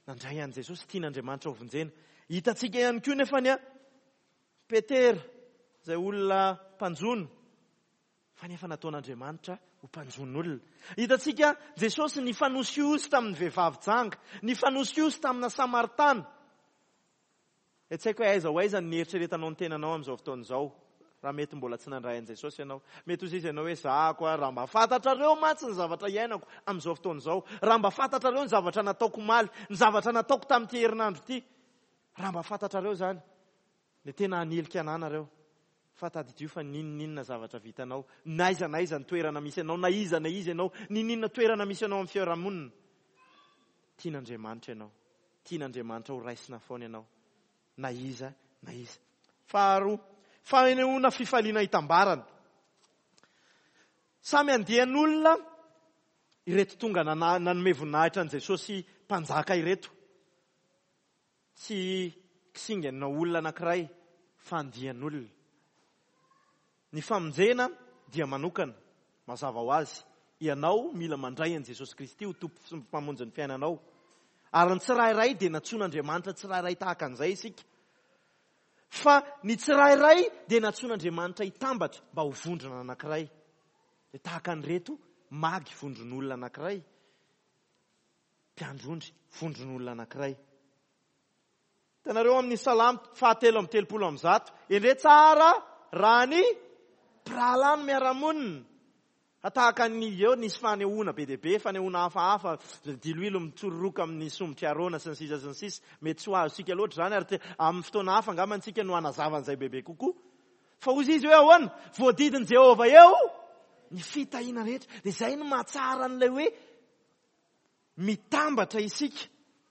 Nandray an'i Jesosy, tian'Andriamanitra ho vonjena. Hitantsika ihany koa nefa ny a Petera, izay olona mpanjono, fa nefa nataon'Andriamanitra ho mpanjon'olona. Hitantsika Jesosy nifanosihosy tamin'ny vehivavy janga, nifanosihosy tamina Samaritana. E tsy haiko hoe aiza ho aiza ny eritreretanao ny tenanao amin'izao fotoana izao, raha mety mbola tsy nandray an'i Jesosy ianao. Mety ho izy ianao hoe zahako aho, raha mba fantatrareo mantsy ny zavatra iainako amin'izao fotoana izao, raha mba fantatrareo ny zavatra nataoko omaly, ny zavatra nataoko tamin'ity herinandro ity, raha mba fantatrareo izany, dia tena hanilika anà nareo. Fa tadidio fa n'inon'inona zavatra vitanao, na aiza na aiza ny toerana misy anao, na iza na iza ianao, n'inon'inona toerana misy anao amin'ny fiarahamonina, tian'Andriamanitra ianao, tian'Andriamanitra ho raisina foana ianao, na iza na iza. Faharoa, fanehoana fifaliana hitambarana. Samy andian'olona ireto tonga nana-, nanome voninahitra an'i Jesosy mpanjaka ireto. Tsy kisingana olona anankiray fa andian'olona. Ny famonjena dia manokana, mazava ho azy. Ianao mila mandray an'i Jesosy Kristy ho Tompo sy Mpamonjy ny fiainanao. Ary ny tsirairay dia nantsoin'Andriamanitra tsirairay tahaka an'izay isika. Fa ny tsirairay dia nantsoin'Andriamanitra hitambatra mba ho vondrona anankiray. Dia tahaka an'ireto magy vondron'olona anankiray, mpiandry ondry vondron'olona anankiray. Hitanareo amin'ny Salamo fahatelo amby telopolo amby zato, endrey tsara raha ny mpirahalahy no miara-monina. Fa tahaka ny eo nisy fanehoana be dia be, fanehoana hafahafa, diloilo mitsororoka amin'ny somotr'i Arona sy ny sisa sy ny sisa. Mety tsy ho azontsika loatra izany ary te-, amin'ny fotoana hafa angamba antsika no hanazava an'izay bebe kokoa. Fa hoy izy hoe ahoana? Voadidin'i Jehovah eo ny fitahiana rehetra. Dia izay no mahatsara an'ilay hoe mitambatra isika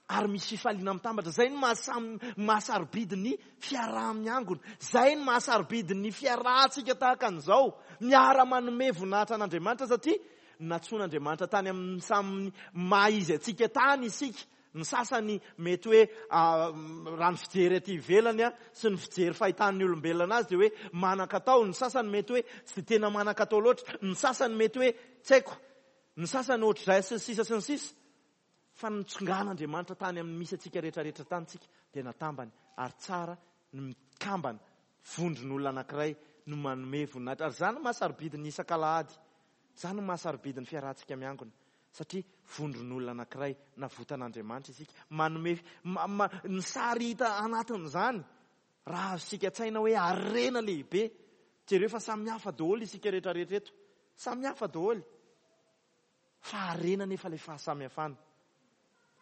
ary misy fifaliana mitambatra. Izay no mahasam-, mahasarobidy ny fiaraha-miangona. Izay no mahasarobidy ny fiarahantsika tahaka an'izao. Miara-manome voninahitra an'Andriamanitra satria nantsoin'Andriamanitra tany amin'ny samy maha izy antsika tany isika. Ny sasany mety hoe, ah, raha ny fijery aty ivelany, ah, sy ny fijery fahitan'ny olombelona azy dia hoe manan-katao. Ny sasany mety hoe tsy dia tena manan-katao loatra. Ny sasany mety hoe tsy haiko. Ny sasany ohatr'izay sy ny sisa sy ny sisa. Fa nitsongan'Andriamanitra tany amin'ny misy antsika rehetrarehetra tany tsika dia natambany. Ary tsara ny mikambana vondron'olona anankiray no manome voninahitra. Ary izany no mahasarobidy ny isak'alahady. Izany no mahasarobidy ny fiarahantsika miangona. Satria vondron'olona anankiray navotan'Andriamanitra isika. Manome, ma, ma, ny sary hita anatin'izany raha azontsika an-tsaina hoe harena lehibe. Jereo fa samy hafa daholo isika rehetrarehetra eto. Samy hafa daholo. Fa harena nefa ilay fahasamihafana.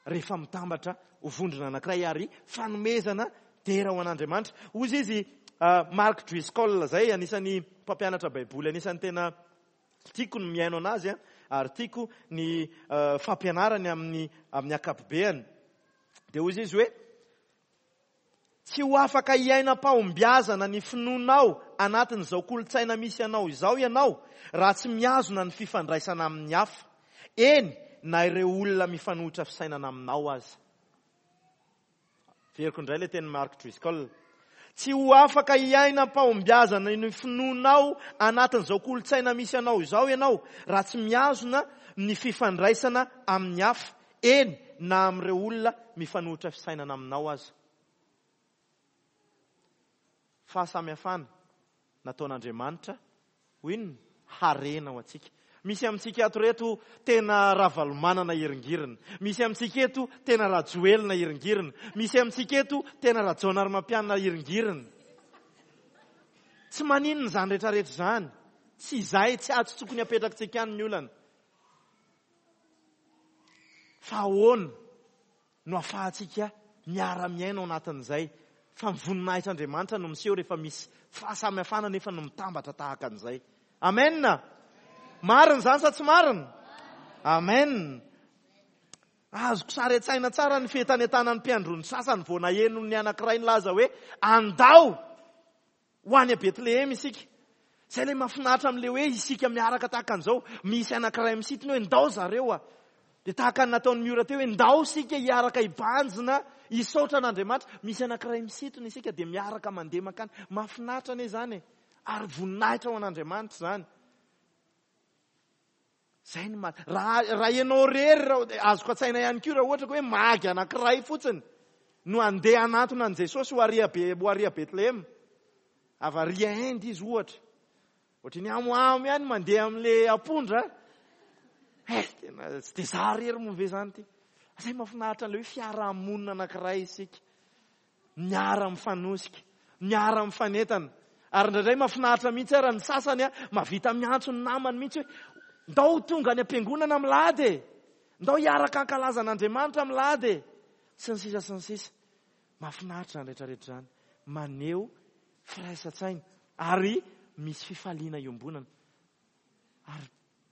Rehefa mitambatra ho vondrona anankiray ary fanomezana dera ho an'Andriamanitra. Hoy izy, ah, Mark Driscoll izay anisan'ny mpampianatra Baiboly, anisan'ny tena tiako ny mihaino anazy, ah, ary tiako ny, ah, fampianarany amin'ny, amin'ny ankapobeany. Dia hoy izy hoe tsy ho afaka hiaina am-pahombiazana ny finoanao anatin'izao kolontsaina misy anao izao ianao raha tsy mihazona ny fifandraisana amin'ny hafa. Eny, na ireo olona mifanohitra fisainana aminao aza. Veriko indray ilay tenin'i Mark Driscoll. Tsy ho afaka hiaina am-pahombiazana ny finoanao anatin'izao kolontsaina misy anao izao ianao raha tsy mihazona ny fifandraisana amin'ny hafa. Eny, na amin'ireo olona mifanohitra fisainana aminao aza. Fahasamihafana nataon'Andriamanitra ho inona? Harena ho antsika. Misy amintsika ato reto tena Ravalomanana hiringirina. Misy amintsika eto tena Rajoelina hiringirina. Misy amintsika eto tena Rajaonarimampianina hiringirina. Tsy maninona izany rehetrarehetra izany. Tsy izay, tsy azo tokony hapetrakantsika any ny olana. Fa ahoana no ahafahantsika miara-miaina ao anatin'izay? Fa ny voninahitr'Andriamanitra no miseho rehefa misy fahasamihafana nefa no mitambatra tahaka an'izay. Amen. Marina izany sa tsy marina? Amen. Azoko sary an-tsaina tsara ny fientanentanan'ny mpiandry ny sasany vao naheno ny anankiray nilaza hoe andao ho any Betlehema isika. Izay ilay mahafinaritra amin'ilay hoe isika miaraka tahaka an'izao. Misy anankiray misintona hoe ndao zareo a. Dia tahaka ny nataon'ny Miora teo hoe ndao isika hiaraka hibanjina, hisaotra an'Andriamanitra. Misy anankiray misintona isika dia miaraka mandeha mankany. Mahafinaritra anie izany e. Ary voninahitra ho an'Andriamanitra izany. Izay no ma-, raha, raha ianao irery, raha, azoko an-tsaina ihany koa raha ohatra ka hoe magy anankiray fotsiny no handeha hanantona an'i Jesosy ho ary Be-, ho ary Betlehema. Avy ary Inde izy ohatra. Ohatry ny amoamo ihany mandeha amin'ilay ampondra. Eh, tena tsy dia za irery moa ve izany ity? Izay mahafinaritra an'ilay hoe fiarahamonina anankiray isika. Miara-mifanosika, miara-mifanentana. Ary indraindray mahafinaritra mihitsy ary ny sasany, a, mahavita miantso ny namany mihitsy hoe ndao tonga any am-piangonana amin'ny lahady e. Ndao hiaraka hankalaza an'Andriamanitra amin'ny lahady e. Sy ny sisa sy ny sisa. Mahafinaritra izany rehetrarehetra izany. Maneho firaisan-tsaina ary misy fifaliana iombonana. Ary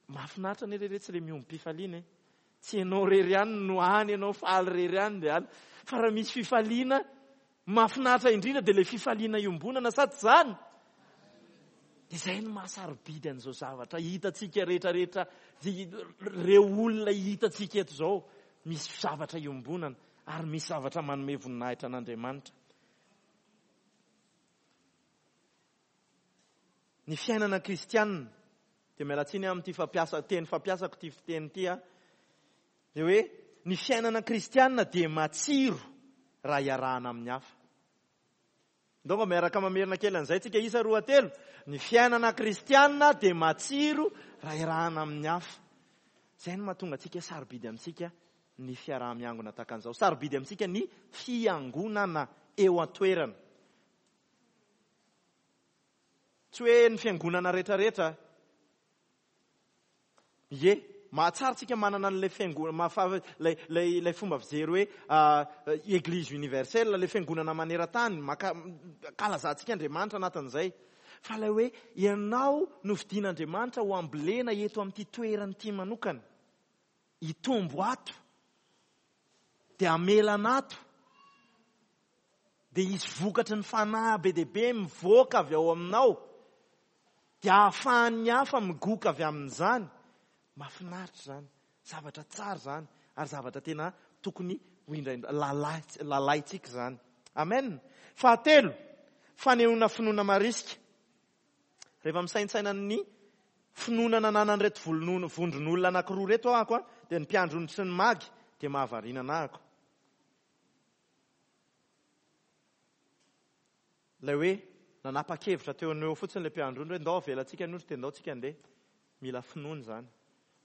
mahafinaritra anie re tsy ilay miombom-pifaliana e. Tsy ianao irery ihany no any ianao faly irery ihany dia any. Fa raha misy fifaliana mahafinaritra indrindra dia ilay fifaliana iombonana sady izany. Dia izay no mahasarobidy an'izao zavatra hitantsika rehetrarehetra, ireo olona hitantsika eto izao, misy zavatra iombonana ary misy zavatra manome voninahitra an'Andriamanitra. Ny fiainana kristianina Dia miala tsiny amin'ity fampiasa, teny fampiasako ity fiteny ity a. Dia hoe ny fiainana kristianina dia matsiro raha iarahana amin'ny hafa. Ndao mba miaraka mamerina kely an'izay tsika, isa roa telo. Ny fiainana kristianina dia matsiro raha iarahana amin'ny hafa. Izay no mahatonga antsika sarobidy amintsika ny fiaraha-miangona tahaka an'izao. Sarobidy amintsika ny fiangonana eo an-toerana. Tsy hoe ny fiangonana rehetrarehetra. Ie, mahatsara tsika manana an'ilay fiangonana, mahafa-, ilay, ilay, ilay fomba fijery hoe, ah, Église universelle, ilay fiangonana maneran-tany, maka-, kalazantsika Andriamanitra anatin'izay. Fa ilay hoe ianao no fidin'Andriamanitra ho ambolena eto amin'ity toerana ity manokana. Hitombo ato, dia hamelana ato, dia hisy vokatry ny fanahy be dia be mivoaka avy ao aminao, dia ahafahan'ny hafa migoka avy amin'izany. Mahafinaritra izany, zavatra tsara izany, ary zavatra tena tokony ho indraindra, lalahy, lalahintsika izany. Amen. Fahatelo, fanehoana finoana marisika. Rehefa misaintsaina ny finoana nananan'ireto volon'olo-, vondron'olona anankiroa ireto aho, a, dia ny mpiandry ondry sy ny magy, dia mahavariana anahako. Ilay hoe nanapa-kevitra teo no eo fotsiny ilay mpiandry ondry hoe ndao avelantsika ny ondry dia ndao tsika andeha. Mila finoana izany.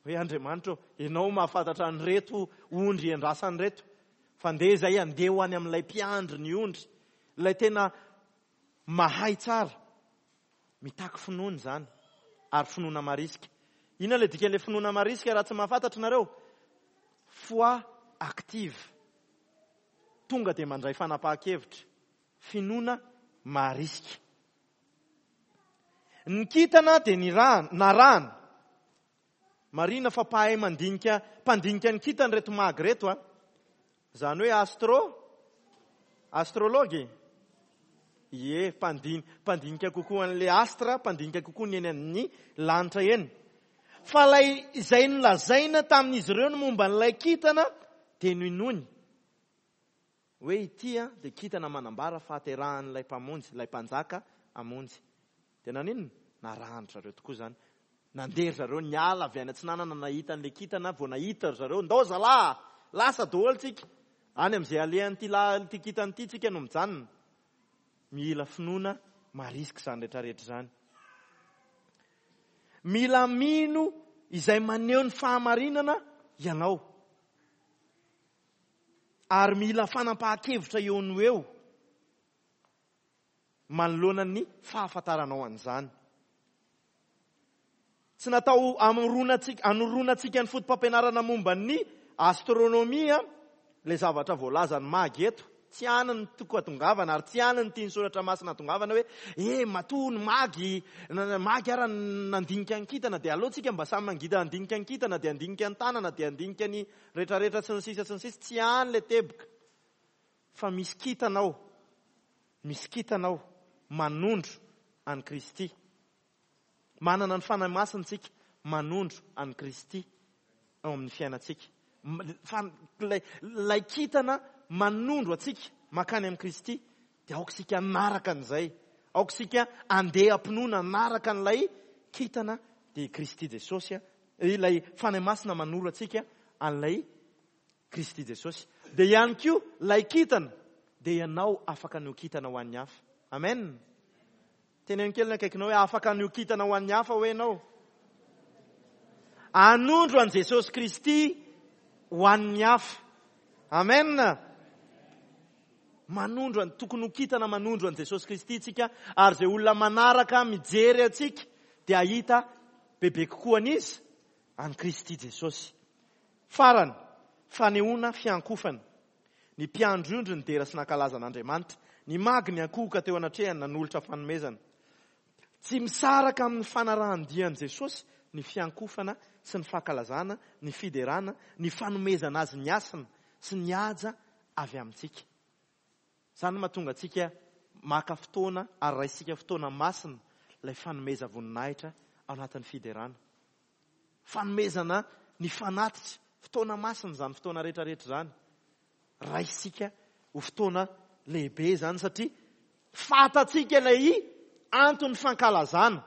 Hoe Andriamanitra ô, ianao mahafantatra an'ireto ondry endrasan'ireto, fa ndeha izay andeha ho any amin'ilay mpiandry ny ondry, ilay tena mahay tsara. Mitaky finoana izany, ary finoana marisika. Inona ilay dikan'ilay finoana marisika raha tsy mahafantatra nareo? Foi active. Tonga dia mandray fanapahan-kevitra. Finoana marisika. Ny kintana dia nirahana, narahana. Marina fa mpahay mandinika, mpandinika ny kintana ireto magy ireto, a. Izany hoe astro, astrologue. Ie, mpandin-, mpandinika kokoa an'ilay astra, mpandinika kokoa ny eny amin'ny lanitra eny. Fa ilay izay nolazaina tamin'izy ireo ny momba an'ilay kintana dia nohenoiny. Hoe ity, a, dia kintana manambara fahaterahan'ilay mpamonjy, ilay mpanjaka hamonjy. Dia naninona? Narahany zareo tokoa izany. Nandeha ry zareo niala avy any atsinanana nahita an'ilay kintana, vao nahita ry zareo, ndao zalahy, lasa daholo tsika. Any amin'izay alehan'ity la-, ity kintana ity tsika no mijanona. Mila finoana marisika izany rehetrarehetra izany. Mila mino izay maneho ny fahamarinana ianao. Ary mila fanapahan-kevitra eo no eo manoloana ny fahafantaranao an'izany. Tsy natao hamoronantsika, hanoronantsika ny foto-pampianarana momba ny astronomia ilay zavatra voalazan'ny magy eto. Tsy any ny toko atongavana ary tsy any ny tian'ny soratra masina atongavana hoe, eh, matoa ny magy, na, na, magy ara nandinika ny kintana dia aleo tsika mba samy mangida handinika ny kintana dia handinika ny tanana dia handinika ny rehetrarehetra sy ny sisa sy ny sisa. Tsy any ilay teboka. Fa misy kintana ao. Misy kintana ao manondro an'i Kristy. Manana ny Fanahy Masina tsika manondro an'i Kristy ao amin'ny fiainantsika. M-, fa ilay, ilay kintana manondro antsika mankany amin'i Kristy dia aoka isika hanaraka an'izay. Aoka isika handeha am-pinoana hanaraka an'ilay kintana dia i Kristy Jesosy, a, ilay Fanahy Masina manoro antsika an'ilay Kristy Jesosy. Dia ihany koa ilay kintana dia ianao afaka ny ho kintana ho an'ny hafa. Amen. Teneno kely ny akaikinao hoe afaka ny ho kintana ho an'ny hafa hoe ianao. Hanondro an'i Jesosy Kristy ho an'ny hafa. Amen. Manondro an-, tokony ho kintana manondro an'i Jesosy Kristy tsika, ary izay olona manaraka mijery antsika dia hahita bebe kokoa an'izy an'i Kristy Jesosy. Farany, fanehoana fiankofana. Ny mpiandry ondry nidera sy nankalaza an'Andriamanitra. Ny magy niankohoka teo anatrehany nanolotra fanomezana. Tsy misaraka amin'ny fanarahan-dian'i Jesosy ny fiankofana sy ny fankalazana, ny fiderana, ny fanomezana azy ny hasina sy ny haja avy amintsika. Izany no mahatonga antsika maka fotoana ary raisika fotoana masina ilay fanomeza voninahitra ao anatin'ny fiderana. Fanomezana ny fanatitra, fotoana masina izany fotoana rehetrarehetra izany. Raisika ho fotoana lehibe izany satria fantatsika ilay anton'ny fankalazana.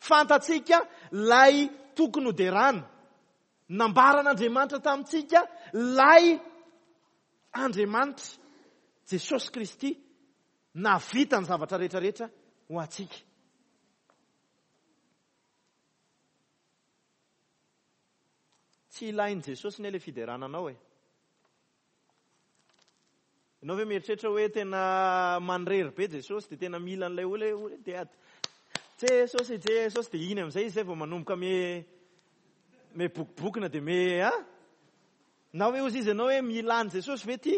Fantatsika Lay tokony ho derana. Nambaran'Andriamanitra tamintsika lay Andriamanitra Jesosy Kristy nahavita ny zavatra rehetrarehetra ho antsika. Tsy ilain'i Jesosy ne le fiderana anao e. Ianao ve mieritreritra hoe tena manirery be Jesosy dia tena mila an'ilay olona hoe dia Jesosy Jesosy dia iny amin'izay izy zay vao manomboka me me bokobokona dia me a na hoe ozy izy ianao hoe mila an'i Jesosy ve ty?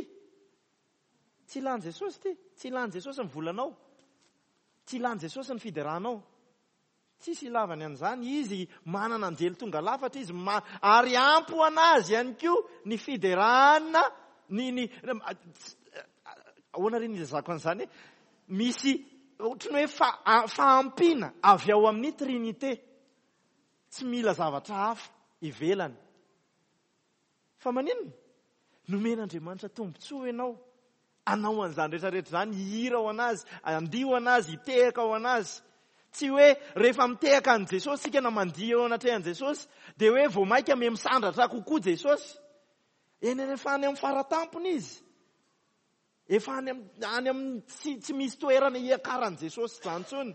Tsy ilan'i Jesosy ty, tsy ilan'i Jesosy ny volanao, tsy ilan'i Jesosy ny fideranao. Tsisy ilavany an'izany, izy manana anjely tonga lafatra izy ma, ary ampy ho anazy ihany koa ny fiderana ny ny ahoana re ny ilazako an'izany? Misy ohatran'ny hoe fa, fahampiana avy ao amin'ny Trinité. Tsy mila zavatra hafa ivelany. Fa maninona? Nomen'Andriamanitra tombontsoa ianao anao an'izany rehetrarehetra izany, hihira ho anazy, andihy ho anazy, hitehaka ho anazy. Tsy hoe rehefa mitehaka an'i Jesosy isika na mandihy eo anatrehan'i Jesosy dia hoe vao mainka me misandratra kokoa Jesosy. Eny rehefa any amin'ny faratampony izy. Efa any amin'ny any amin'ny tsy, tsy misy toerana hiakaran'i Jesosy izany intsony.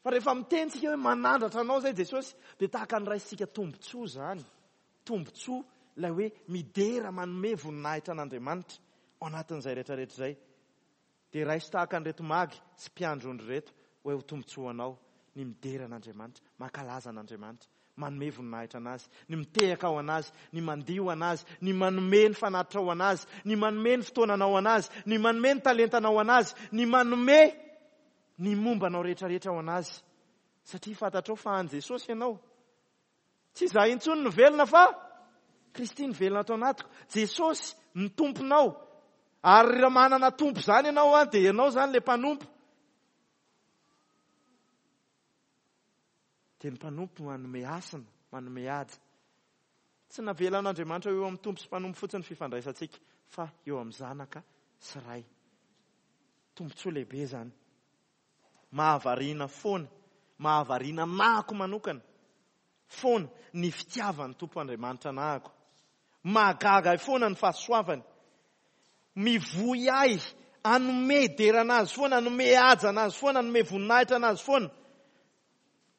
Fa rehefa miteny tsika hoe manandratra anao izay Jesosy dia tahaka ny raisitsika tombontsoa izany. Tombontsoa ilay hoe midera manome voninahitra an'Andriamanitra ao anatin'izay rehetrarehetra izay. Dia raiso tahaka an'ireto magy sy mpiandry ondry ireto hoe ho tombontsoa anao ny midera an'Andriamanitra, mankalaza an'Andriamanitra, manome voninahitra anazy, ny mitehaka ho anazy, ny mandihy ho anazy, ny manome ny fanatitra ho anazy, ny manome ny fotoananao anazy, ny manome ny talentanao anazy, ny manome ny momba anao rehetrarehetra ho anazy. Satria fantatrao fa an'i Jesosy ianao. Tsy izaho intsony no velona fa Kristy no velona ato anatiko. Jesosy ny tomponao. Ary raha manana tompo izany ianao a, dia ianao izany le mpanompo. Dia ny mpanompo manome hasina, manome haja. Tsy navelan'Andriamanitra eo amin'ny tompo sy mpanompo fotsiny ny fifandraisantsika, fa eo amin'ny zanaka sy ray. Tombontsoa lehibe izany. Mahavariana foana, mahavariana nahako manokana foana ny fitiavan'ny Tompo Andriamanitra nahako. Mahagaga ahy foana ny fahasoavany. Mivoy ahy hanome derana azy foana, hanome haja anazy foana, hanome voninahitra anazy foana.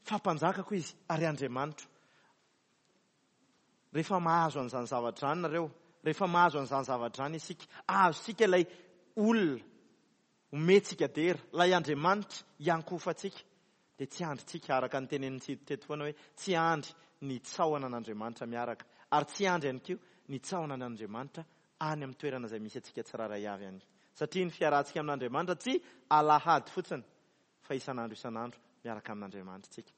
Fa mpanjakako izy ary Andriamanitro. Rehefa mahazo an'izany zavatra izany nareo, rehefa mahazo an'izany zavatra izany isika, azontsika ilay olona omentsika dera, ilay Andriamanitra iankohofantsika, dia tsy andrintsika araka ny tenenin'ny Tsito teto foana hoe tsy andry ny tsaoana an'Andriamanitra miaraka, ary tsy andry ihany koa ny tsaoana an'Andriamanitra any amin'ny toerana izay misy antsika tsirairay avy any. Satria ny fiarahantsika amin'Andriamanitra tsy alahady fotsiny, fa isan'andro isan'andro miaraka amin'Andriamanitra tsika.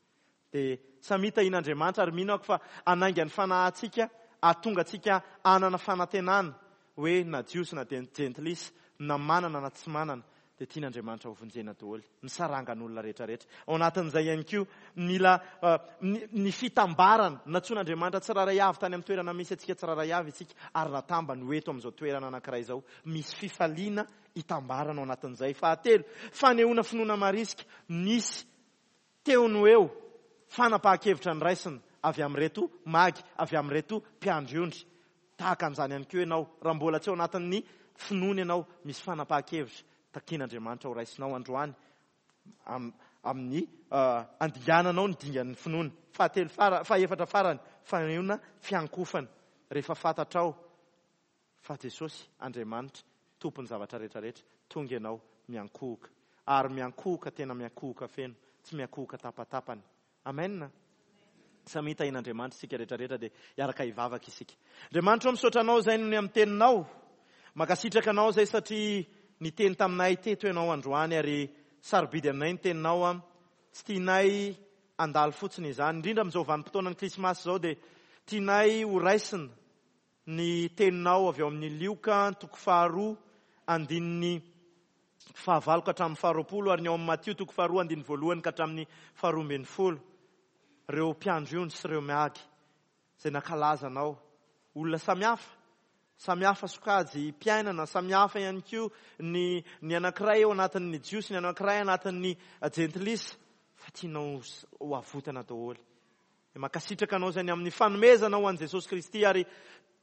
Dia samy tahian'Andriamanitra ary mino aho fa hanainga ny fanahintsika, hahatonga antsika hanana fanantenana hoe na Jiosy na jentilisa, na manana na tsy manana, dia tian'Andriamanitra ho vonjena daholo, ny sarangan'olona rehetrarehetra. Ao anatin'izay ihany koa mila uh, ny, ny fitambarana, nantsoin'Andriamanitra tsirairay avy tany amin'ny toerana misy antsika tsirairay avy isika, ary natambany ho eto amin'izao toerana anankiray izao. Misy fifaliana hitambarana ao anatin'izay. Fahatelo, fanehoana finoana marisika. Nisy teo no eo fanapahan-kevitra noraisina avy amin'ireto magy, avy amin'ireto mpiandry ondry. Tahaka an'izany ihany koa ianao, raha mbola tsy ao anatin'ny finoana ianao, misy fanapahan-kevitra takian'Andriamanitra ho raisinao androany am, amin'ny uh, andiananao ny dingan'ny finoana. Fahatelo fara, fahaefatra farany, fanehoana fiankofana. Rehefa fantatrao fa Jesosy Andriamanitra tompon'ny zavatra rehetrarehetra, tonga ianao miankohoka. Ary miankohoka tena miankohoka feno, tsy miankohoka tapatapany. Amen. Samy tahian'Andriamanitra isika rehetrarehetra, dia hiaraka hivavaka isika. Andriamanitra, misaotra anao izay noho ny amin'ny teninao. Mankasitraka anao izay satria niteny taminay teto ianao androany, ary sarobidy aminay ny teninao. A tsy tianay handalo fotsiny izany, indrindra amin'izao vanim-potoanan'ny Krismasy izao, dia tianay ho raisina ny teninao avy ao amin'ny Lioka toko faharoa andininy fahavalo ka hatramin'ny faharoapolo, ary ny ao amin'ny Matio toko faharoa andininy voalohany ka hatramin'ny faharoa ambin'ny folo. Ireo mpiandry ondry sy ireo magy izay nankalaza anao, olona samihafa, samihafa sokajy mpiainana, samihafa ihany koa ny, ny anankiray ao anatin'ny Jiosy, ny anankiray anatin'ny jentilisa, Fa tianao ho avotana daholo. Mankasitraka anao izay ny amin'ny fanomezana ho an'i Jesosy Kristy ary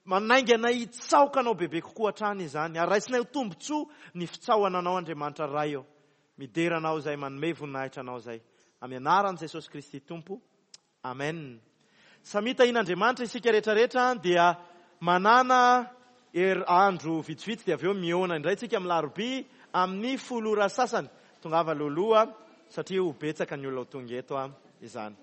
manainga anay hitsaoka anao bebe kokoa hatrany izany. Ary raisinay ho tombontsoa ny fitsaohana anao Andriamanitra Ray ô. Midera anao izay manome voninahitra anao izay. Amin'ny anaran'i Jesosy Kristy Tompo. Amen. Samia tahian'Andriamanitra isika rehetrarehetra dia manana her andro vitsivitsy dia avy eo mihaona indray tsika amin'ny alarobia amin'ny folo ora sasany. Tongava alohaloha satria ho betsaka ny olona ho tonga eto izany.